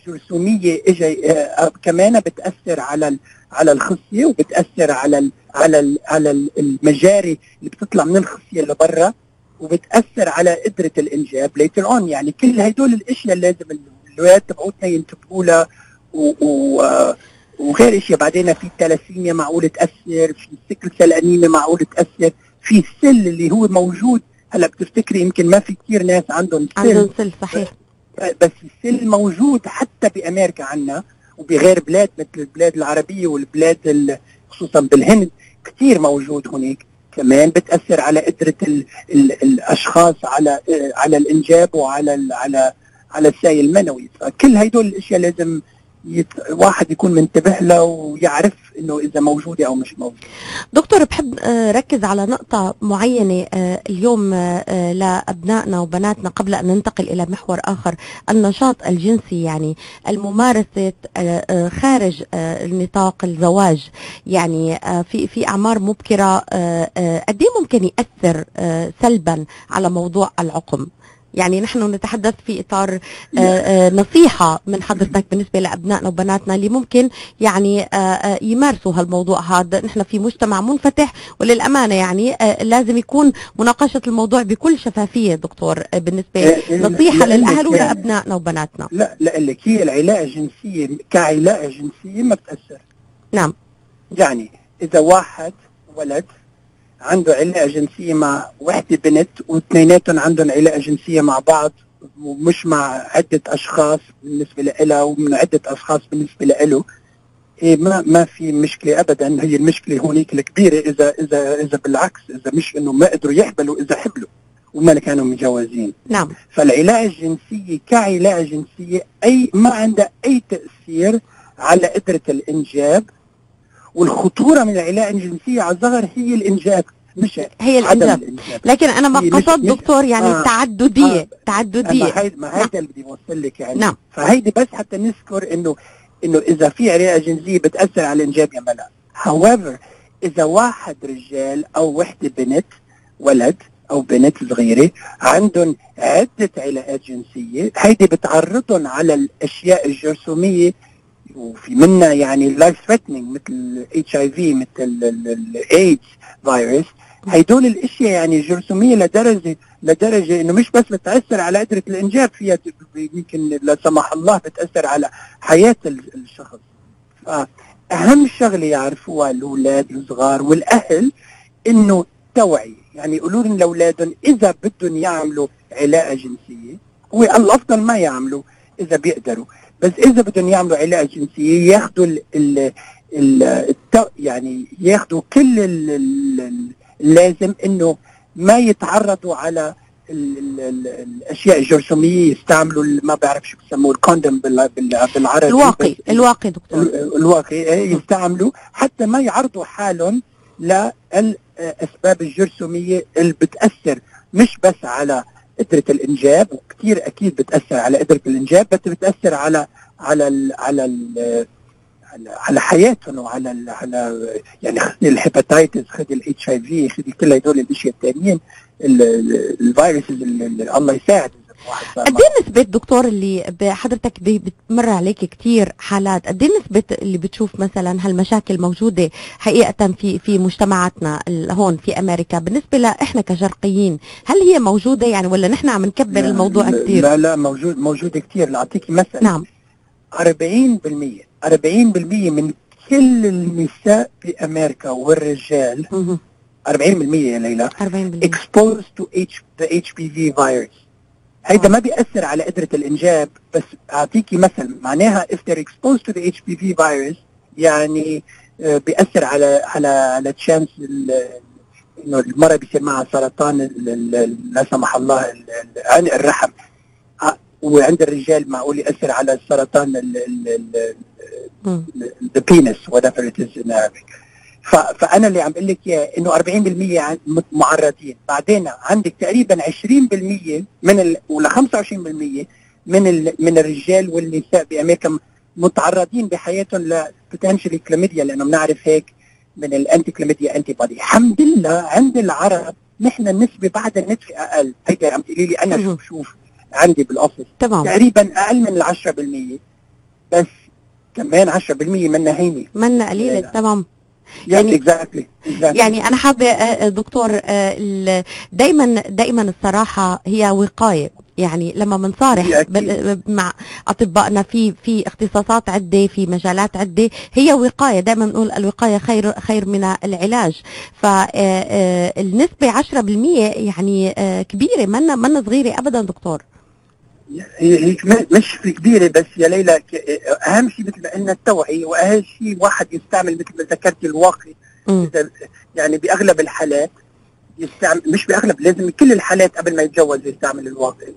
جرثوميه اجى آه، كمان بتاثر على ال- على الخصيه، وبتاثر على ال على ال على ال- المجاري اللي بتطلع من الخصيه لبرا، وبتاثر على قدره الانجاب ليتر اون. يعني كل هدول الاشياء اللي لازم الولاد تبعوتنا ينتبهوا لها، و- و- آه، وغير اشياء. بعدين في الثلاسيميا معقول تاثر، في السكل سيل انيميا معقول تاثر، في السل اللي هو موجود. هلا بتفتكري يمكن ما في كثير ناس عندهم عندهم سل، سل صحيح. بس السل موجود حتى بامريكا عنا وبغير بلاد مثل البلاد العربيه والبلاد ال- خصوصا بالهند كثير موجود هناك. كمان بتاثر على قدره ال ال الاشخاص على آه، على الانجاب وعلى ال على على السائل المنوي. فكل هدول الاشياء لازم يت... واحد يكون منتبه له ويعرف انه اذا موجوده او مش موجوده. دكتور بحب آه، ركز على نقطة معينة آه، اليوم آه، لأبنائنا وبناتنا قبل أن ننتقل إلى محور آخر، النشاط الجنسي، يعني الممارسة آه، آه، خارج آه، نطاق الزواج، يعني آه، في في أعمار مبكرة آه، آه، قد إيه ممكن يأثر آه، سلبا على موضوع العقم؟ يعني نحن نتحدث في إطار آه، آه، نصيحة من حضرتك بالنسبة لأبنائنا وبناتنا اللي ممكن يعني آه، آه، يمارسوا هالموضوع هذا. نحن في مجتمع منفتح وللأمانة يعني آه، لازم يكون مناقشة الموضوع بكل شفافية دكتور آه، بالنسبة آه، نصيحة لأنك للأهل يعني- ولأبنائنا وبناتنا. لا لك هي العلاقه الجنسيه كعلاقه جنسيه ما بتاثر. نعم. يعني اذا واحد ولد عنده علاقه جنسيه مع وحده بنت واثنيناتهم عندهم علاقه جنسيه مع بعض ومش مع عده اشخاص بالنسبه لها ومن عده اشخاص بالنسبه له، إيه ما ما في مشكله ابدا. هي المشكله هونيك الكبيره اذا اذا اذا بالعكس، اذا مش انه ما قدروا يحبلوا، اذا حبلوا وما كانوا متجوزين. نعم. فالعلاقة الجنسية كعلاقة جنسية أي ما عندها أي تأثير على قدرة الإنجاب، والخطورة من العلاقة الجنسية على الصغر هي الإنجاب مش هي الإنجاب. لكن أنا ما قصد دكتور يعني آه التعددية آه تعددية ما هيدا ما هيدا اللي بدي أوصل لك يعني. نعم. فهيدي بس حتى نذكر إنه إنه إذا في علاقة جنسية بتأثر على الإنجاب يا ملا. however إذا واحد رجال أو وحدة بنت ولد أو بنت صغيرة عندهم عدة علاقات جنسية، هيدي بتعرضهم على الأشياء الجرثومية وفي منها يعني life threatening مثل ال إتش آي في مثل ال إيدز فيروس. هيدول الاشياء يعني جرثوميه لدرجه لدرجه انه مش بس بتاثر على قدره الانجاب، فيها يمكن لا سمح الله بتاثر على حياه الشخص. فاهم شغله يعرفوها الاولاد الصغار والاهل انه توعيه، يعني يقولوا لهم لاولادهم اذا بدهم يعملوا علاقه جنسيه، هو الافضل ما يعملوا اذا بيقدروا، بس اذا بدهم يعملوا علاقه جنسيه ياخذوا ال ال ال يعني ياخذوا كل ال لازم انه ما يتعرضوا على ال ال ال الاشياء الجرثوميه، يستعملوا ما بعرف شو بسموه الكوندوم بالعربي، الواقي الواقي دكتور الواقي يستعملوا حتى ما يعرضوا حالهم للاسباب الجرثوميه اللي بتاثر مش بس على قدره الانجاب، وكثير اكيد بتاثر على قدره الانجاب، بس بتاثر على على ال على ال على حياتهم وعلى ال على يعني خذي الهيباتيتس، خذي الاتش اي في، خذي كل هدول الاشياء الثانيين الفيروسز اللي الله يساعد. قد ايه نسبة دكتور اللي حضرتك بتمر عليك كتير حالات، قد ايه نسبة اللي بتشوف مثلا هالمشاكل موجودة حقيقة في في مجتمعاتنا هون في امريكا بالنسبة لإحنا كشرقيين؟ هل هي موجودة يعني ولا نحن عم نكبر الموضوع كتير؟ لا لا موجود موجودة كتير. لأعطيكي مثلا نعم أربعين بالمية أربعين بالمية من كل النساء في أمريكا والرجال مه. أربعين بالمية يا ليلى أربعين بالمية exposed to H the إتش بي في virus. هيدا ما بيأثر على قدرة الإنجاب، بس أعطيكي مثل معناها if they're exposed to the إتش بي في virus يعني بيأثر على على على تشانس إنه المرأة بيصير معها سرطان لا سمح الله الرحم، وعند الرجال معقول يأثر على السرطان the penis whatever it is in Arabic. فأنا اللي عم بقول لك إياه إنه أربعين بالمية معرضين، بعدين عندك تقريبا عشرين بالمية من ال ولا خمسة وعشرين بالمية من ال من الرجال والنساء بأمريكا متعرضين بحياتهم لبوتنشال كلاميديا، لأنه بنعرف هيك من الأنتي كلاميديا أنتي بودي. الحمد لله عند العرب نحن النسبة بعد النسبة أقل. هيدا عم تقولي لي أنا شوف شوف عندي بالأوفيس تقريبا أقل من العشرة بالمية، بس كمان عشرة بالمية منا هيني منا قليلة. تمام يعني exactly. exactly. يعني أنا حابة دكتور دايما دايما الصراحة هي وقاية، يعني لما بنصارح مع أطبائنا في في اختصاصات عدة في مجالات عدة هي وقاية، دائما بنقول الوقاية خير خير من العلاج. فالنسبة عشرة بالمية يعني كبيرة، منا منا صغيرة أبدا دكتور. هي مش كبيرة بس يا ليلى، أهم شيء مثل ما قلنا التوعية، وأهم شيء واحد يستعمل مثل ما ذكرت الواقي. يعني بأغلب الحالات يستعمل، مش بأغلب، لازم كل الحالات قبل ما يتجوز يستعمل الواقي.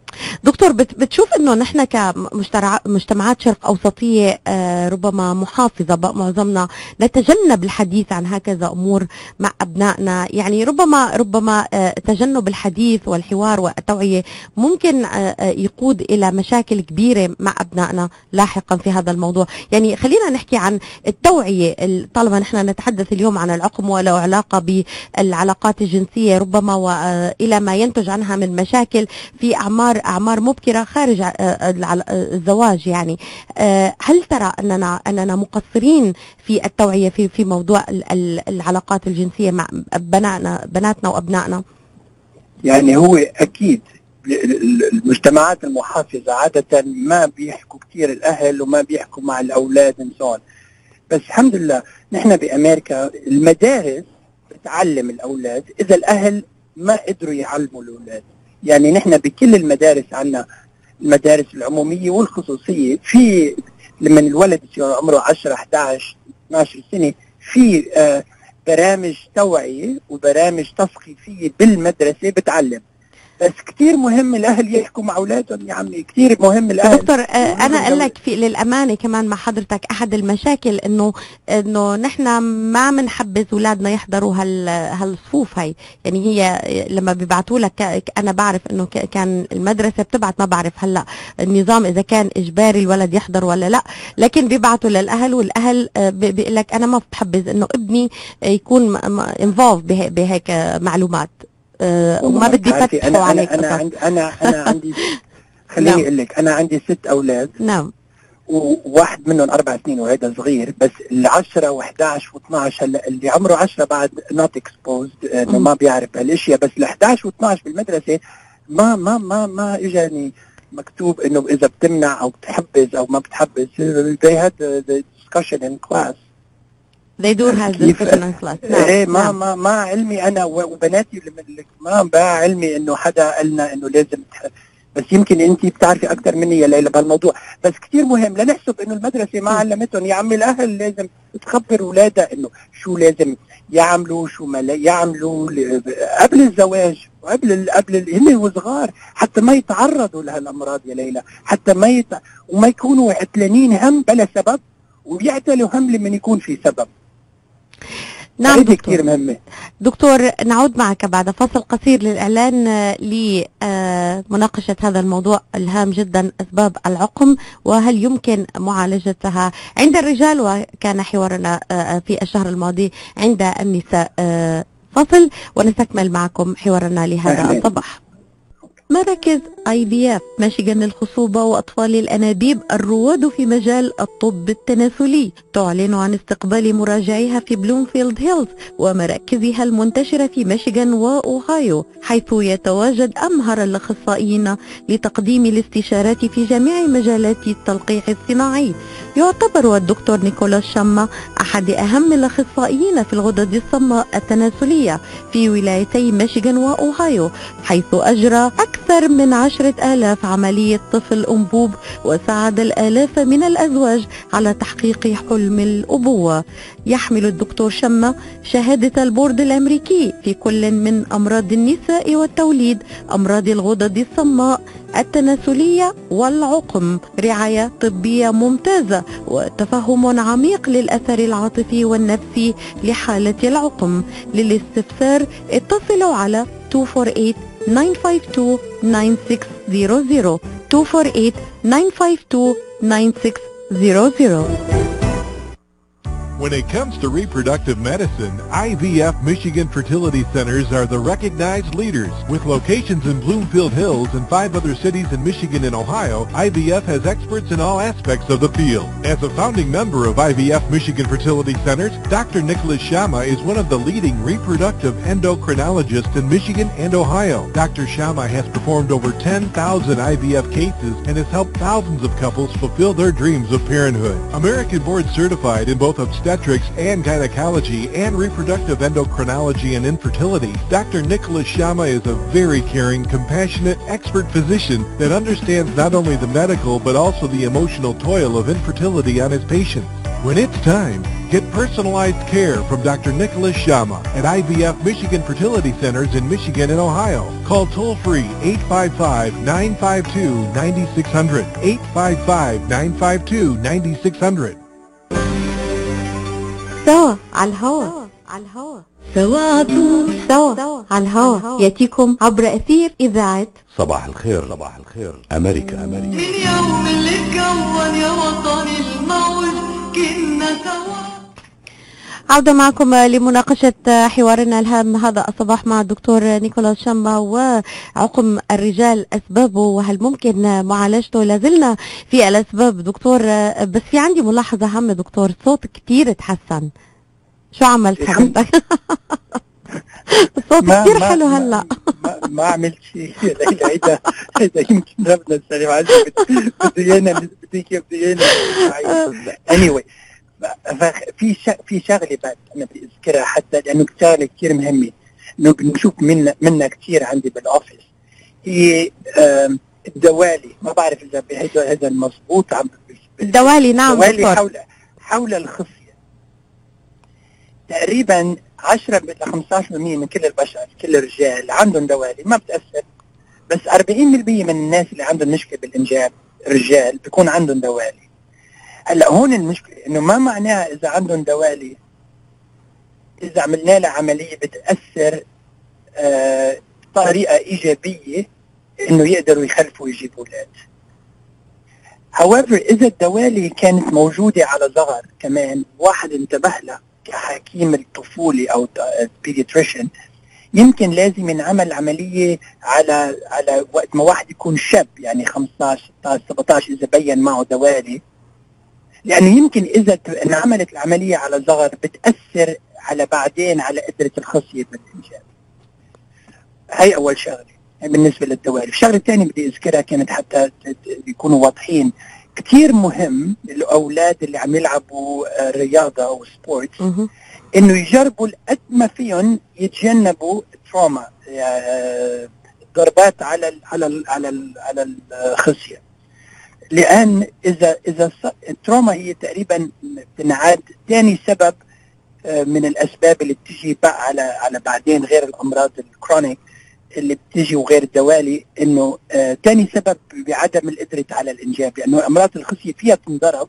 دكتور بتشوف انه نحن كمجتمعات شرق اوسطيه ربما محافظه بقى معظمنا نتجنب الحديث عن هكذا امور مع ابنائنا، يعني ربما ربما تجنب الحديث والحوار والتوعيه ممكن يقود الى مشاكل كبيره مع ابنائنا لاحقا في هذا الموضوع. يعني خلينا نحكي عن التوعيه، طالما نحن نتحدث اليوم عن العقم وله علاقه بالعلاقات الجنسيه ربما والى ما ينتج عنها من مشاكل في اعمار اعمار مبكره خارج الزواج. يعني هل ترى اننا اننا مقصرين في التوعيه في في موضوع العلاقات الجنسيه مع بناتنا بناتنا وابنائنا؟ يعني هو اكيد المجتمعات المحافظه عاده ما بيحكوا كثير الاهل وما بيحكوا مع الاولاد انسان، بس الحمد لله نحن بامريكا المدارس بتعلم الاولاد اذا الاهل ما قدروا يعلموا الاولاد. يعني نحن بكل المدارس عندنا المدارس العموميه والخصوصيه، في لما الولد يصير عمره عشرة إحدى عشر اثني عشر سنه في آه برامج توعيه وبرامج تثقيفيه بالمدرسه بتعلم. بس كتير مهم الاهل يحكوا مع اولادهم يا عمي، كتير مهم الاهل. دكتور آه انا اقول لك في للامانه كمان مع حضرتك احد المشاكل انه انه نحن ما بنحبذ اولادنا يحضروا هال هالصفوف هي، يعني هي لما بيبعتوا لك انا بعرف انه كان المدرسه بتبعت، ما بعرف هلا النظام اذا كان اجباري الولد يحضر ولا لا، لكن بيبعتوا للاهل والاهل بيقول لك انا ما بحبذ انه ابني يكون انفولف بهيك معلومات وما بدي فتحوا أنا عليك. أنا أنا عندي أنا أنا عندي خليني أقول لك أنا عندي ست أولاد. نعم. وواحد منهم أربع سنين وهذا صغير، بس العشرة وإحداش واثناش هلا اللي عمره عشرة بعد not exposed إنه ما بيعرف هالأشياء، بس الإحداش واثناش بالمدرسة ما ما ما ما إجاني مكتوب إنه إذا بتمنع أو بتحبز أو ما بتحبز. they had the discussion in class. They do have discussion in class. ايه ما ما ما علمي انا وبناتي ما بقى علمي انه حدا قالنا انه لازم تح... بس يمكن انت بتعرفي اكثر مني يا ليلى بهالموضوع، بس كثير مهم لنحسب انه المدرسه ما علمتهم. يا عمي الاهل لازم تخبر اولادها انه شو لازم يعملوا شو ما لا يعملوا قبل الزواج وقبل قبل هن وصغار، حتى ما يتعرضوا لهالامراض يا ليلى، حتى ما يت... وما يكونوا عتلانين هم بلا سبب وبيعتلوا هم لمن يكون في سبب. نعم دكتور. كثير مهمة. دكتور نعود معك بعد فصل قصير للإعلان لمناقشة هذا الموضوع الهام جدا، أسباب العقم وهل يمكن معالجتها عند الرجال، وكان حوارنا في الشهر الماضي عند النساء. فصل ونستكمل معكم حوارنا لهذا الصباح. مراكز آي في إف ميشيغان للخصوبة وأطفال الأنابيب الرواد في مجال الطب التناسلي تعلن عن استقبال مراجعيها في بلومفيلد هيلز ومراكزها المنتشرة في ميشيغان وأوهايو، حيث يتواجد أمهر الأخصائيين لتقديم الاستشارات في جميع مجالات التلقيح الصناعي. يعتبر الدكتور نيكولاس شاما أحد أهم الأخصائيين في الغدد الصماء التناسلية في ولايتي ميشيغان وأوهايو، حيث أجرى أكثر من عشرة آلاف عملية طفل أنبوب وساعد الآلاف من الأزواج على تحقيق حلم الأبوة. يحمل الدكتور شاما شهادة البورد الأمريكي في كل من أمراض النساء والتوليد، أمراض الغدد الصماء التناسلية والعقم، رعاية طبية ممتازة وتفهم عميق للأثر العاطفي والنفسي لحالة العقم. للاستفسار اتصلوا على two four eight nine five two nine six zero zero two four eight nine five two nine six zero zero. When it comes to reproductive medicine, I V F Michigan Fertility Centers are the recognized leaders. With locations in Bloomfield Hills and five other cities in Michigan and Ohio, I V F has experts in all aspects of the field. As a founding member of I V F Michigan Fertility Centers, Doctor Nicholas Shama is one of the leading reproductive endocrinologists in Michigan and Ohio. Doctor Shama has performed over ten thousand I V F cases and has helped thousands of couples fulfill their dreams of parenthood. American board certified in both obstetrics and gynecology and reproductive endocrinology and infertility, Doctor Nicholas Shama is a very caring, compassionate, expert physician that understands not only the medical but also the emotional toil of infertility on his patients. When it's time, get personalized care from Doctor Nicholas Shama at I V F Michigan Fertility Centers in Michigan and Ohio. Call toll-free eight five five nine five two nine six zero zero, eight five five nine five two nine six zero zero. سوا على الهواء على الهواء سوا عطول سوا على الهواء يأتيكم عبر أثير إذاعة صباح الخير. صباح الخير أمريكا. أمريكا. من يوم اللي كون يا وطن الموج كنا سوا. عودة معكم لمناقشة حوارنا الهام هذا الصباح مع الدكتور نيكولاس شاما وعقم الرجال أسبابه وهل ممكن معالجته. لازلنا في الأسباب دكتور، بس في عندي ملاحظة هامة دكتور، صوت كتير تحسن. شو عملت حضرتك؟ الصوت كتير حلو هلا. ما, ما عملت شيء. هيدا هيدا يمكن ربنا السلام عليكم. بدي انا بدي بدي انا anyway. في في شغله بعد انا بدي اذكرها حتى لانه شغله كثير مهمه انه بنشوف منا منا كثير عندي بالاوفيس، هي الدوالي. ما بعرف اذا هذا هذا المضبوط عم الدوالي. نعم الدوالي حول حول الخصيه تقريبا عشرة إلى خمسة عشر بالمئة من كل البشر كل الرجال عندهم دوالي ما بتاثر بس أربعين بالمية من الناس اللي عندهم مشكله بالانجاب رجال بيكون عندهم دوالي. هلا هون المشكله انه ما معناها اذا عندهم دوالي اذا عملنا لها عمليه بتاثر آه طريقه ايجابيه انه يقدروا يخلفوا ويجيبوا اولاد. however اذا الدوالي كانت موجوده على صغر كمان واحد انتبه لها كحكيم الطفولي او بيدياتريشن، يمكن لازم ينعمل عمليه على على وقت ما واحد يكون شاب، يعني خمسطعش ستطعش سبعطعش اذا بين معه دوالي، لانه يمكن اذا انعملت العمليه على صغر بتاثر على بعدين على قدره الخصيه بالانجاب. هي اول شغله بالنسبه للدوالي. الشغله الثانيه بدي اذكرها كانت حتى يكونوا واضحين، كثير مهم للاولاد اللي عم يلعبوا رياضه او سبورت انه يجربوا قد ما فيهم يتجنبوا تروما، يعني ضربات على ال على ال على ال على الخصيه، لان اذا اذا التروما هي تقريبا بتنعاد ثاني سبب من الاسباب اللي بتجي بقى على على بعدين غير الامراض الكرونيك اللي بتجي وغير الدوالي، انه ثاني آه سبب بعدم القدره على الانجاب، لانه امراض الخصيه فيها تنضرب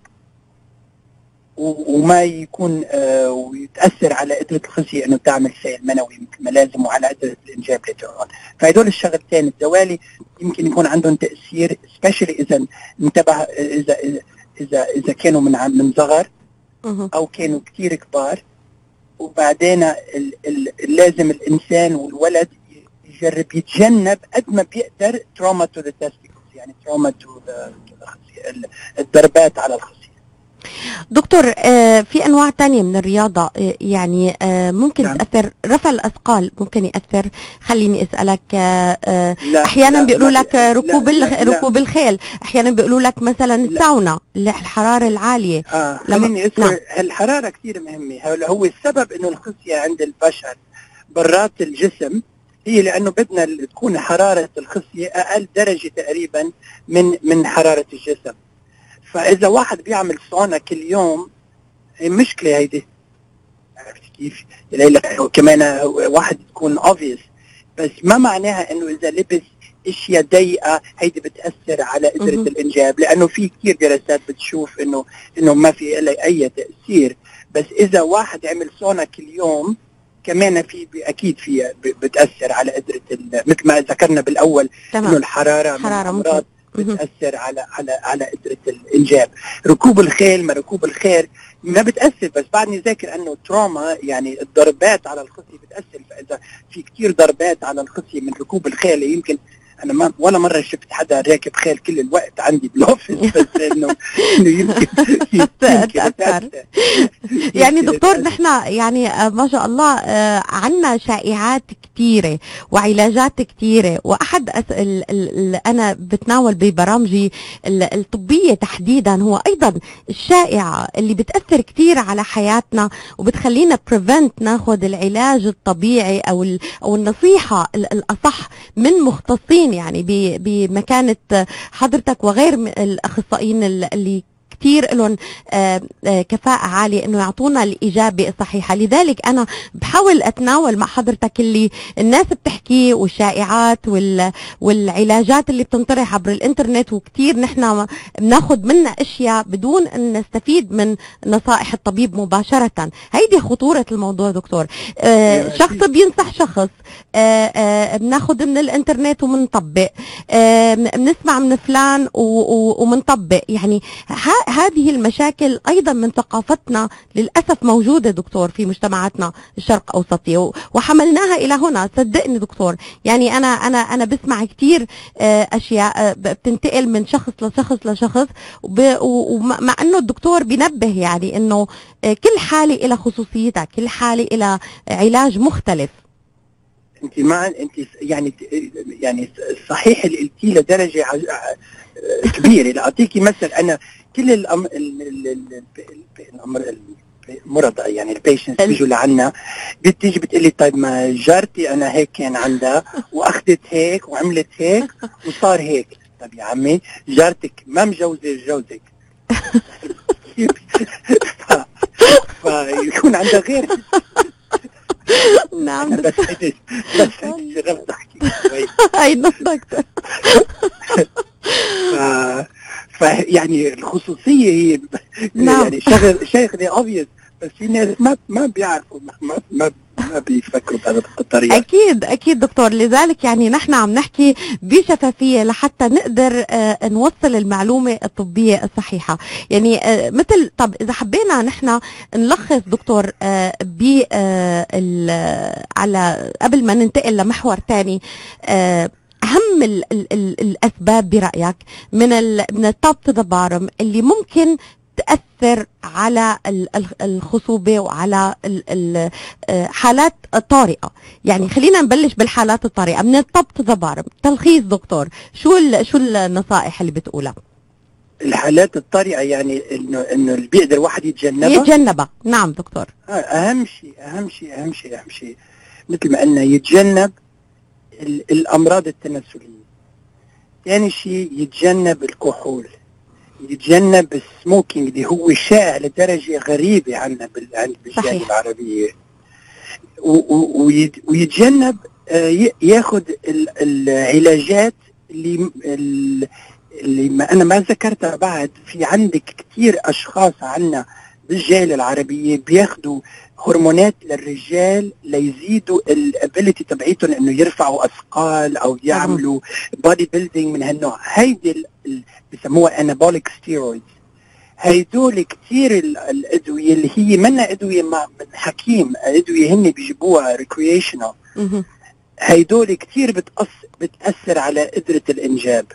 وما يكون آه ويتاثر على قدره الخصيه انه تعمل سيل منوي مثل ما لازم وعلى قدره الانجاب لترون. فهدول الشغلتين الدوالي يمكن يكون عندهم تاثير سبيشلي اذا انتبه اذا اذا اذا, إذا كانوا من من صغر او كانوا كثير كبار. وبعدين ال ال لازم الانسان والولد يجرب يتجنب قد ما بيقدر تروما تو ذا تستيكلز، يعني تروما تو الضربات على الخصيه. دكتور في انواع تانية من الرياضه يعني ممكن نعم. تاثر، رفع الاثقال ممكن ياثر. خليني اسالك لا احيانا بيقولوا لك ركوب لا لا ركوب الخيل، احيانا بيقولوا لك مثلا الساونا الحراره العاليه. اه خليني اسال نعم. الحراره كثير مهمه. هو السبب انه الخصيه عند البشر برات الجسم هي لانه بدنا تكون حراره الخصيه اقل درجه تقريبا من من حراره الجسم. فاذا واحد بيعمل سونا كل يوم هي مشكله هيدي، عرفت كيف؟ يعني كمان واحد تكون obvious، بس ما معناها انه اذا لبس اشياء ضيقه هيدي بتاثر على قدره الانجاب، لانه في كثير دراسات بتشوف انه انه ما في لها اي تاثير. بس اذا واحد عمل سونا كل يوم كمان في اكيد في بتاثر على قدره مثل ما ذكرنا بالاول انه الحراره حراره ممكن بتاثر على على على قدره الانجاب. ركوب الخيل ما ركوب الخيل ما بتاثر، بس بعدني ذاكر انه تروما يعني الضربات على الخصيه بتاثر. فاذا في كثير ضربات على الخصيه من ركوب الخيل، يمكن انا ما ولا مره شفت حدا راكب خيل كل الوقت عندي بالاوفيس، بس انه انه يمكن تاثر. يعني دكتور نحن يعني ما شاء الله عندنا شائعات كثيره وعلاجات كثيره، واحد اللي انا بتناول ببرامجي الطبيه تحديدا هو ايضا الشائعه اللي بتاثر كثير على حياتنا وبتخلينا بريفنت ناخذ العلاج الطبيعي او او النصيحه الاصح من مختصين يعني بمكانة حضرتك وغير الأخصائيين اللي كتير لهم كفاءة عالية انه يعطونا الإجابة الصحيحة. لذلك انا بحاول اتناول مع حضرتك اللي الناس بتحكي والشائعات والعلاجات اللي بتنطرح عبر الانترنت، وكتير نحن بناخد منها اشياء بدون ان نستفيد من نصائح الطبيب مباشرة. هيدي خطورة الموضوع دكتور. شخص بينصح شخص، بناخد من الانترنت ومنطبق، بنسمع من فلان ومنطبق. يعني هذه المشاكل أيضا من ثقافتنا للأسف موجودة دكتور في مجتمعاتنا الشرق أوسطية، وحملناها إلى هنا. صدقني دكتور، يعني أنا أنا أنا بسمع كثير أشياء بتنتقل من شخص لشخص لشخص، ومع أنه الدكتور بينبه يعني أنه كل حالة إلى خصوصيتها، كل حالة إلى علاج مختلف. انت مع انت يعني يعني صحيح اللي قلتيه لدرجه كبيره. لاعطيكي مثل، انا كل الامر الامر المرضى يعني البيشنتس بيجوا لعنا بتيجي بتقلي طيب ما جارتي انا هيك كان عندها واخذت هيك وعملت هيك وصار هيك. طيب يا عمي جارتك ما مجوزه جوزك فيكون عندها غير نعم أنا بس هيك بس هيك جربت أحكي شوي. أي دكتور. ف... ف يعني الخصوصية هي نعم. يعني شغل شغلة obvious، بس في ناس ما ما بيعرفوا ما ما ما بيفكروا بهذا الطريقة. أكيد أكيد دكتور، لذلك يعني نحن عم نحكي بشفافية لحتى نقدر آه نوصل المعلومة الطبية الصحيحة. يعني آه مثل طب إذا حبينا نحن نلخص دكتور آه ب آه على قبل ما ننتقل لمحور تاني، آه أهم ال ال ال الأسباب برأيك من ال من التوب تو ذا بارم اللي ممكن تأثر على الخصوبة وعلى الحالات الطارئة. يعني خلينا نبلش بالحالات الطارئة من التوب تو ذا بارم. تلخيص دكتور، شو شو النصائح اللي بتقولها؟ الحالات الطارئة يعني انه انه اللي بيقدر واحد يتجنبها يتجنبها. نعم دكتور. اهم شيء اهم شيء اهم شيء اهم شيء مثل ما قلنا يتجنب الامراض التناسلية. ثاني شيء يتجنب الكحول، يتجنب السموكينج اللي هو شائع لدرجة غريبة عنا بالجالية العربية، ويتجنب ياخذ العلاجات اللي اللي ما انا ما ذكرتها بعد. في عندك كثير اشخاص عنا بالجالية العربية بياخذوا هرمونات للرجال ليزيدوا الابيليتي تبعيتهم انه يرفعوا اثقال او يعملوا بودي بيلدينج من هالنوع. هيدي بسموها انابوليك ستيرويدز. هيدول كثير الادويه اللي هي منا ادويه من حكيم، ادويه هن بيجيبوها ريكريشنال. هيدول كثير بتأثر بتاثر على قدره الانجاب.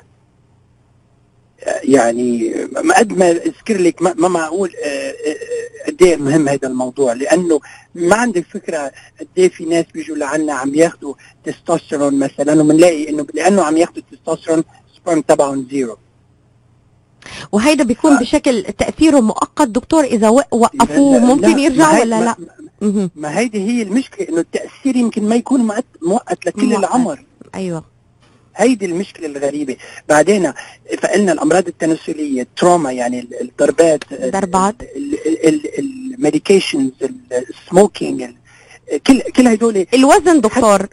يعني ما قد ما اذكر لك ما معقول قد ايه مهم هذا الموضوع، لانه ما عندك فكره قد ايه في ناس بيجوا لعنا عم ياخذوا تستوستيرون مثلا، وبنلاقي انه لانه عم ياخذوا التستوستيرون سبرم تبعهم زيرو. وهيدا بيكون ف... بشكل تاثيره مؤقت دكتور، اذا وقفوه ممكن يرجع ولا لا؟ ما, ما هيدي هي المشكله، انه التاثير يمكن ما يكون مؤقت لكل مؤقت. العمر. ايوه هيدي المشكله الغريبه. بعدين فقلنا الامراض التناسليه، التروما يعني الضربات ضربات الميديكيشنز، السموكينج، كل كل هدول. الوزن دكتور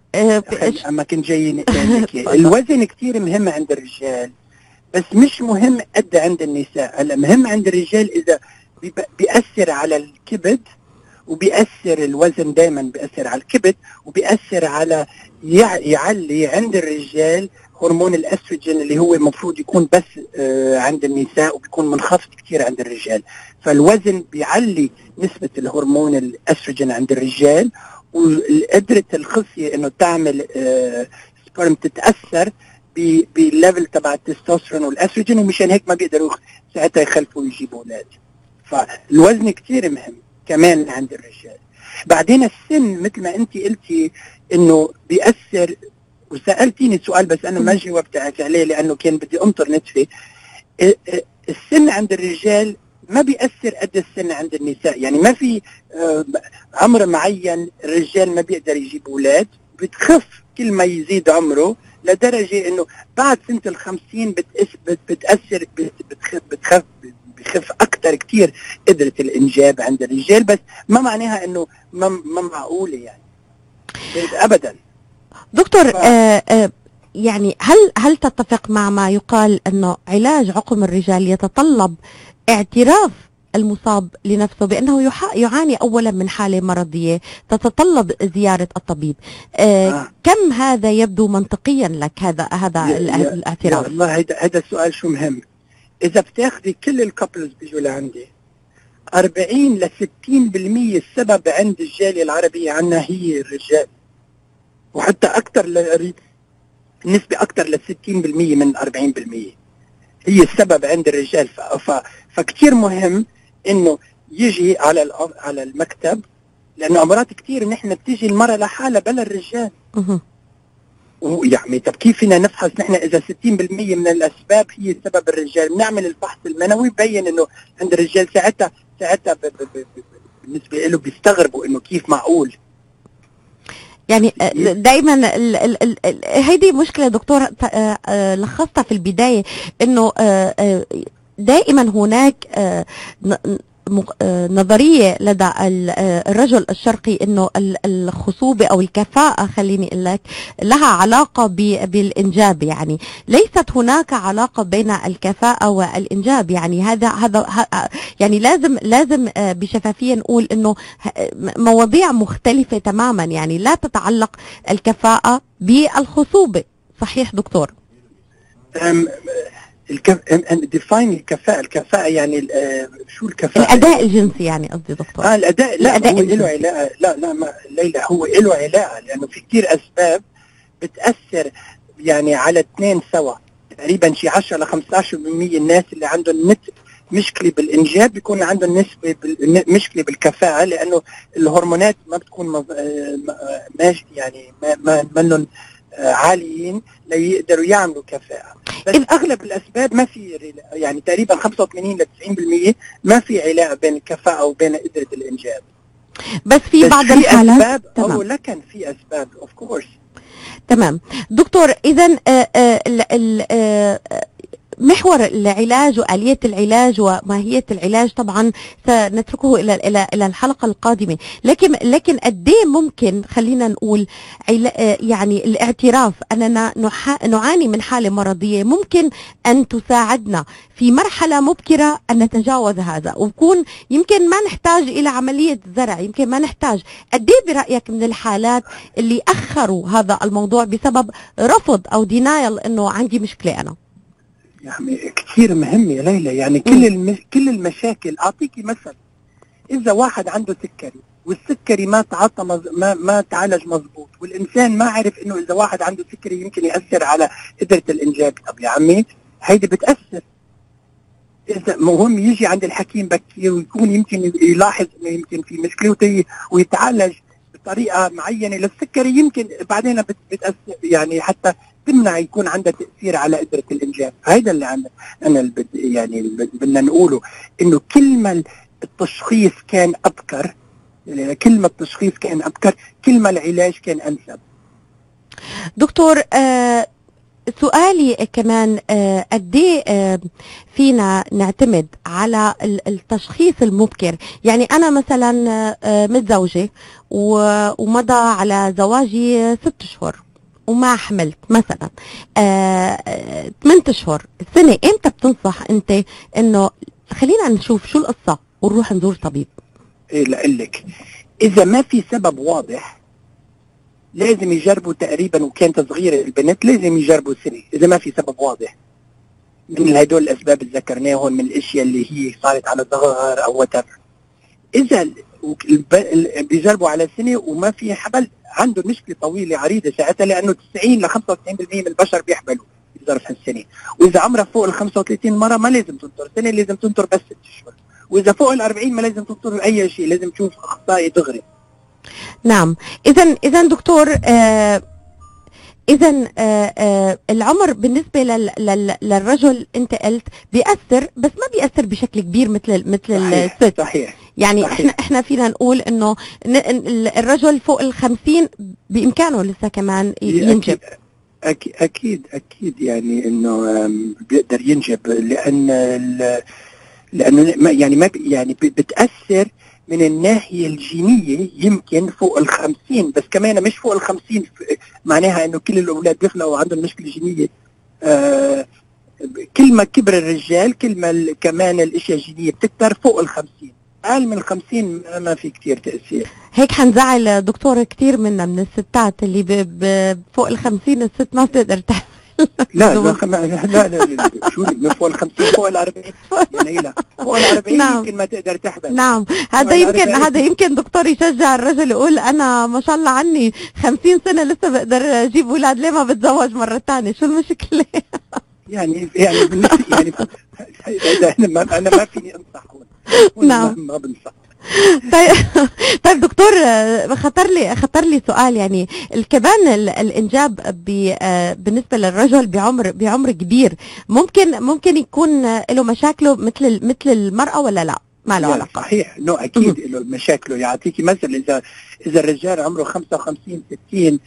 اما كنت جاي الوزن كثير مهم عند الرجال، بس مش مهم قد عند النساء. هلا مهم عند الرجال اذا بيأثر على الكبد، وبيأثر الوزن دائما بيأثر على الكبد، وبيأثر على يعلي عند الرجال هرمون الاستروجين اللي هو المفروض يكون بس آه عند النساء، وبيكون منخفض كثير عند الرجال. فالوزن بيعلي نسبة الهرمون الاستروجين عند الرجال، وقدرة الخصية انه تعمل آه سبرم تتأثر بالليفل تبع التستوستيرون والاستروجين، ومشان هيك ما بيقدروا ساعتها يخلفوا ويجيبوا اولاد. فالوزن كثير مهم كمان عند الرجال. بعدين السن مثل ما انت قلتي انه بيأثر، وسألتيني سؤال بس انا ما جاوبت عليه لانه كان بدي انطر نتفه. السن عند الرجال ما بيأثر قد السن عند النساء. يعني ما في عمر معين الرجال ما بيقدر يجيب اولاد، بتخف كل ما يزيد عمره، لدرجة انه بعد سنة الخمسين بتأثر بتخف بتخف بخف اكثر كثير قدرة الانجاب عند الرجال. بس ما معناها انه ما, ما معقولة يعني ابدا. دكتور ف... آه آه يعني هل هل تتفق مع ما يقال انه علاج عقم الرجال يتطلب اعتراف المصاب لنفسه بانه يعاني اولا من حالة مرضية تتطلب زيارة الطبيب؟ آه آه. كم هذا يبدو منطقيا لك هذا هذا الاعتراف؟ والله هذا هذا السؤال شو مهم. إذا بتاخذي كل الكابلز بيجوا لعندي أربعين إلى ستين بالمية السبب عند الجالية العربية عنا هي الرجال، وحتى أكثر ل... النسبة أكثر ل ستين بالمية من أربعين بالمية هي السبب عند الرجال. ف... ف... فكتير مهم إنه يجي على ال... على المكتب، لأنه أمراض كتير نحن بتيجي المرأة لحالها بلا الرجال. ويعني طب كيف فينا نفحص نحن اذا ستين بالمية من الاسباب هي سبب الرجال؟ بنعمل الفحص المنوي ببين انه عند الرجال. ساعتها ساعتها ب... ب... ب... بالنسبه له بيستغربوا انه كيف معقول. يعني دائما هيدي مشكله دكتور لخصتها في البدايه، انه دائما هناك مق- آه، نظرية لدى ال- آه، الرجل الشرقي انه ال- الخصوبة او الكفاءة، خليني اقول لك، لها علاقة ب- بالانجاب. يعني ليست هناك علاقة بين الكفاءة والانجاب. يعني هذا هذا ه- يعني لازم لازم آه، بشفافية نقول انه ه- مواضيع مختلفة تماما. يعني لا تتعلق الكفاءة بالخصوبة. صحيح دكتور؟ أم الكف... أم ديفاين الكفاءة. الكفاءة يعني ال- آه، شو الكفاءة؟ الاداء الجنسي يعني قصدي دكتور. اه الاداء. لا الأداء هو له الجنسي. علاقة. لا لا ما ليلى، هو له علاقة لانه في كتير اسباب بتاثر يعني على اثنين سوا. تقريبا شي عشرة ل خمسة عشر بالمية الناس اللي عندهم نت مشكله بالانجاب بيكون عندهم نسبه بال... مشكله بالكفاءه، لانه الهرمونات ما بتكون مز... آه، ما- ماشي يعني ما ما منهم آه، عاليين ليقدروا يعملوا كفاءه. بس إذ- اغلب الاسباب ما في رلا- يعني تقريبا خمسة وثمانين ل تسعين بالمية ما في علاقه بين الكفاءه وبين قدره الانجاب. بس في بس بعض في الحالات. اسباب او تمام لكن في اسباب اوف كورس. تمام دكتور. اذا محور العلاج وآلية العلاج وماهية العلاج طبعا سنتركه إلى إلى إلى الحلقة القادمة. لكن لكن قد ايه ممكن خلينا نقول علا- يعني الاعتراف أننا نح- نعاني من حالة مرضية ممكن أن تساعدنا في مرحلة مبكرة أن نتجاوز هذا، ويكون يمكن ما نحتاج إلى عملية زرع، يمكن ما نحتاج. قد ايه برأيك من الحالات اللي أخروا هذا الموضوع بسبب رفض أو دينايل إنه عندي مشكلة أنا؟ يعني كثير مهم يا ليلى. يعني كل الم... كل المشاكل. اعطيكي مثل، اذا واحد عنده سكري والسكري ما تعاطى مز... ما ما تعالج مزبوط، والانسان ما عرف انه اذا واحد عنده سكري يمكن ياثر على قدره الانجاب، طب يا عمي هيدي بتاثر. اذا مهم يجي عند الحكيم بكير ويكون يمكن يلاحظ انه يمكن في مشكله وتي... ويتعالج بطريقه معينه للسكري، يمكن بعدين بت... بتاثر يعني حتى تمنع يكون عندها تأثير على قدرة الإنجاب. هيدا اللي عندنا أنا اللي بد يعني اللي بدنا نقوله، إنه كل ما التشخيص كان أبكر، يعني كل ما التشخيص كان أبكر كل ما العلاج كان أنسب. دكتور آه سؤالي كمان آه قد ايه آه فينا نعتمد على ال- التشخيص المبكر؟ يعني انا مثلا آه متزوجه و- ومضى على زواجي ست اشهر وما حملت مثلا آه ثمانية اشهر، سنه، امتى بتنصح انت انه خلينا نشوف شو القصه ونروح نزور طبيب؟ إيه لقلك، إذا ما في سبب واضح لازم يجربوا تقريبا، وكانت صغيرة البنت لازم يجربوا سنة إذا ما في سبب واضح من هدول الأسباب اللي ذكرناهم، من الأشياء اللي هي صارت على الظهر أو whatever. إذا ال- الب- ال- بيجربوا على سنة وما في حبل، عنده مشكلة طويلة عريضة ساعتها، لأنه تسعين ل خمسة وتسعين بالمية من البشر بيحبلوا بظرف هالسنة. وإذا عمرها فوق ال خمسة وثلاثين مرة ما لازم تنطر سنة، لازم تنطر بس ست أشهر. وإذا فوق ال أربعين ما لازم تنطر أي شيء، لازم تشوف أخصائي دغري. نعم. اذا اذا دكتور آه اذا آه آه العمر بالنسبه لل لل للرجل انت قلت بيأثر، بس ما بيأثر بشكل كبير مثل مثل صحيح الست. صحيح يعني صحيح. احنا احنا فينا نقول انه ن- ال- الرجل فوق الخمسين بامكانه لسه كمان ي- ينجب. أكيد أكيد أكيد يعني إنه آم، بيقدر ينجب، لأن ال- لأنه ما يعني ما بي- يعني ب- بتأثر من الناحية الجينية يمكن فوق الخمسين، بس كمان مش فوق الخمسين ف- معناها إنه كل الأولاد بيخلقوا عندهم مشكلة جينية. آه كل ما كبر الرجال كل ما ال- كمان الأشياء الجينية بتكتر فوق الخمسين. أقل من الخمسين ما- ما في كتير تأثير. هيك حنزعل دكتور كتير منا من الستات اللي ب ب فوق الخمسين الست ما بتقدر تحمل. لا لا خم... لا لا, لا شو من فوق ال خمسين فوق ال أربعين يا ليلى، فوق ال أربعين نعم. يمكن ما تقدر تحمل. نعم، هذا وأنا يمكن عارفة هذا يمكن دكتور يشجع الرجل يقول انا ما شاء الله عني خمسين سنة لسه بقدر اجيب اولاد، ليه ما بتزوج مرة ثانية؟ شو المشكلة؟ يعني يعني بالنسبة يعني إذا انا ما انا ما فيني انصح هون. نعم. ما, ما بنصح. طيب طيب دكتور آه، خطر لي خطر لي سؤال. يعني ال- كمان ال- الانجاب ب- آه، بالنسبه للرجل بعمر بعمر كبير ممكن ممكن يكون آه، له مشاكله مثل مثل المراه ولا لا؟ ما له يعني علاقه. صحيح، نو اكيد له مشاكله. يعطيكي مثل، اذا اذا الرجال عمره خمسة وخمسين ستين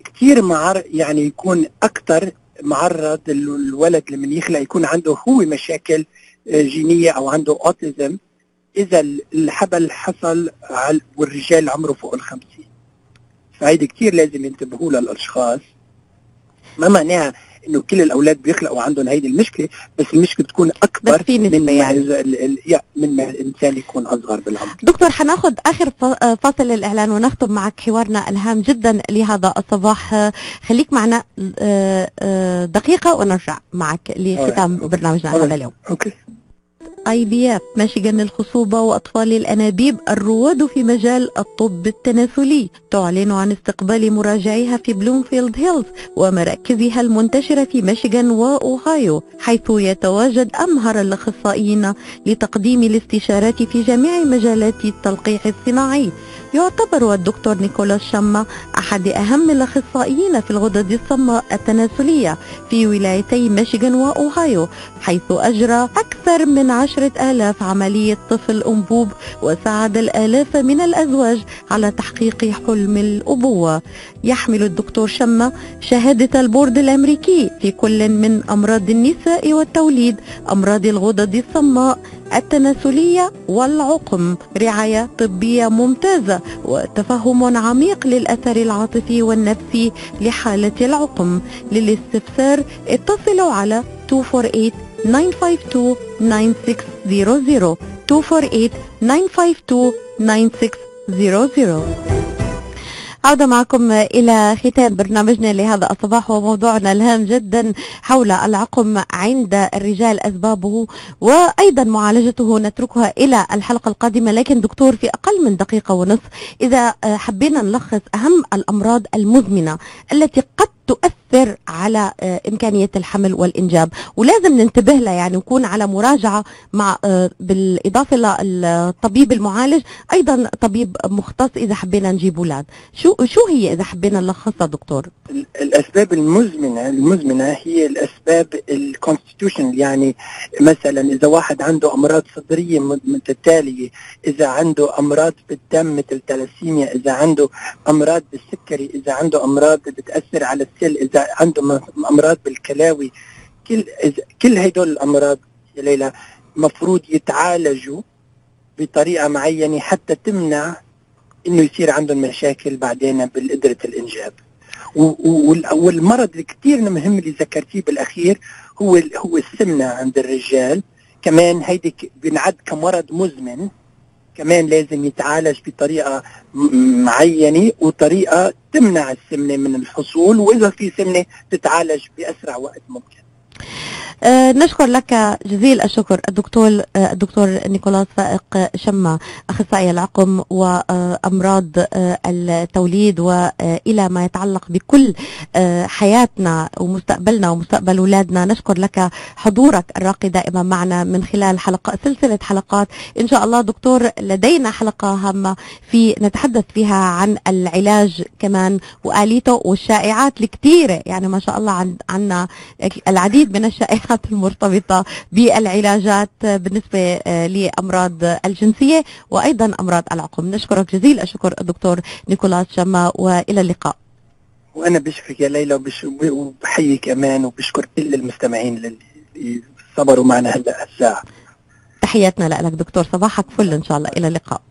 كثير معر يعني يكون اكثر معرض ال- الولد لما يخلق يكون عنده هو مشاكل آه، جينيه او عنده اوتيزم إذا الحبل حصل على والرجال عمره فوق الخمسين. فهيدي كتير لازم ينتبهوا لها الأشخاص. ما معناها إنه كل الأولاد بيخلقوا عندهم هيدي المشكلة، بس المشكلة تكون أكبر من يعني. ما من ما الإنسان يكون أصغر بالعمر. دكتور حناخذ آخر فاصل الإعلان ونختم معك حوارنا الهام جدا لهذا الصباح. خليك معنا دقيقة ونرجع معك لختام برنامجنا هذا اليوم. أوكي. آي في إف ميشيغان للخصوبة وأطفال الأنابيب الرواد في مجال الطب التناسلي تعلن عن استقبال مراجعيها في بلومفيلد هيلز ومراكزها المنتشرة في ميشيغان وأوهايو، حيث يتواجد أمهر الأخصائيين لتقديم الاستشارات في جميع مجالات التلقيح الصناعي. يعتبر الدكتور نيكولاس شما أحد أهم الأخصائيين في الغدد الصماء التناسلية في ولايتي ميشيغان وأوهايو، حيث أجرى أكثر من عشرة آلاف عملية طفل أنبوب وساعد الآلاف من الأزواج على تحقيق حلم الأبوة. يحمل الدكتور شما شهادة البورد الأمريكي في كل من أمراض النساء والتوليد، أمراض الغدد الصماء التناسلية والعقم، رعاية طبية ممتازة وتفهم عميق للأثر العاطفي والنفسي لحالة العقم. للاستفسار اتصلوا على اثنين أربعة ثمانية تسعة اثنين تسعة ستة صفر صفر اثنين أربعة ثمانية تسعة اثنين تسعة ستة صفر صفر. عودة معكم إلى ختام برنامجنا لهذا الصباح وموضوعنا الهام جدا حول العقم عند الرجال، أسبابه وأيضا معالجته نتركها إلى الحلقة القادمة. لكن دكتور في أقل من دقيقة ونصف إذا حبينا نلخص أهم الأمراض المزمنة التي قد تؤثر على إمكانية الحمل والإنجاب ولازم ننتبه لها، يعني نكون على مراجعة مع بالإضافة للطبيب المعالج أيضا طبيب مختص إذا حبينا نجيب أولاد. شو شو هي إذا حبينا نلخصها دكتور؟ الأسباب المزمنة المزمنة هي الأسباب الكونستيتيوشن، يعني مثلا إذا واحد عنده أمراض صدرية متتالية، إذا عنده أمراض بالدم مثل تلاسيميا، إذا عنده أمراض بالسكري، إذا عنده أمراض بتأثر على السل، إذا عنده أمراض بالكلاوي، كل كل هدول الأمراض يا ليلى مفروض يتعالجوا بطريقة معينة حتى تمنع إنه يصير عندهم مشاكل بعدين بالقدرة الإنجاب. والمرض اللي كتير مهم اللي ذكرتيه بالأخير هو هو السمنة عند الرجال، كمان هيدي بنعد كمرض مزمن، كمان لازم يتعالج بطريقة معينة وطريقة تمنع السمنة من الحصول، وإذا في سمنة تتعالج بأسرع وقت ممكن. أه نشكر لك جزيل الشكر الدكتور أه الدكتور نيكولاس فائق شما، أخصائي العقم وأمراض أه التوليد وإلى ما يتعلق بكل أه حياتنا ومستقبلنا ومستقبل أولادنا. نشكر لك حضورك الراقي دائما معنا من خلال حلقة سلسلة حلقات إن شاء الله. دكتور لدينا حلقة هامة في نتحدث فيها عن العلاج كمان وآليته والشائعات الكثيرة، يعني ما شاء الله عن عنا العديد من الشائعات المرتبطة بالعلاجات بالنسبة لأمراض الجنسية وأيضا أمراض العقم. نشكرك جزيل الشكر الدكتور نيكولاس شما وإلى اللقاء. وأنا بشكرك يا ليلى وبحييك أمان وبشكر كل المستمعين اللي صبروا معنا هلأ الساعة. تحياتنا لك دكتور، صباحك فل إن شاء الله، إلى اللقاء.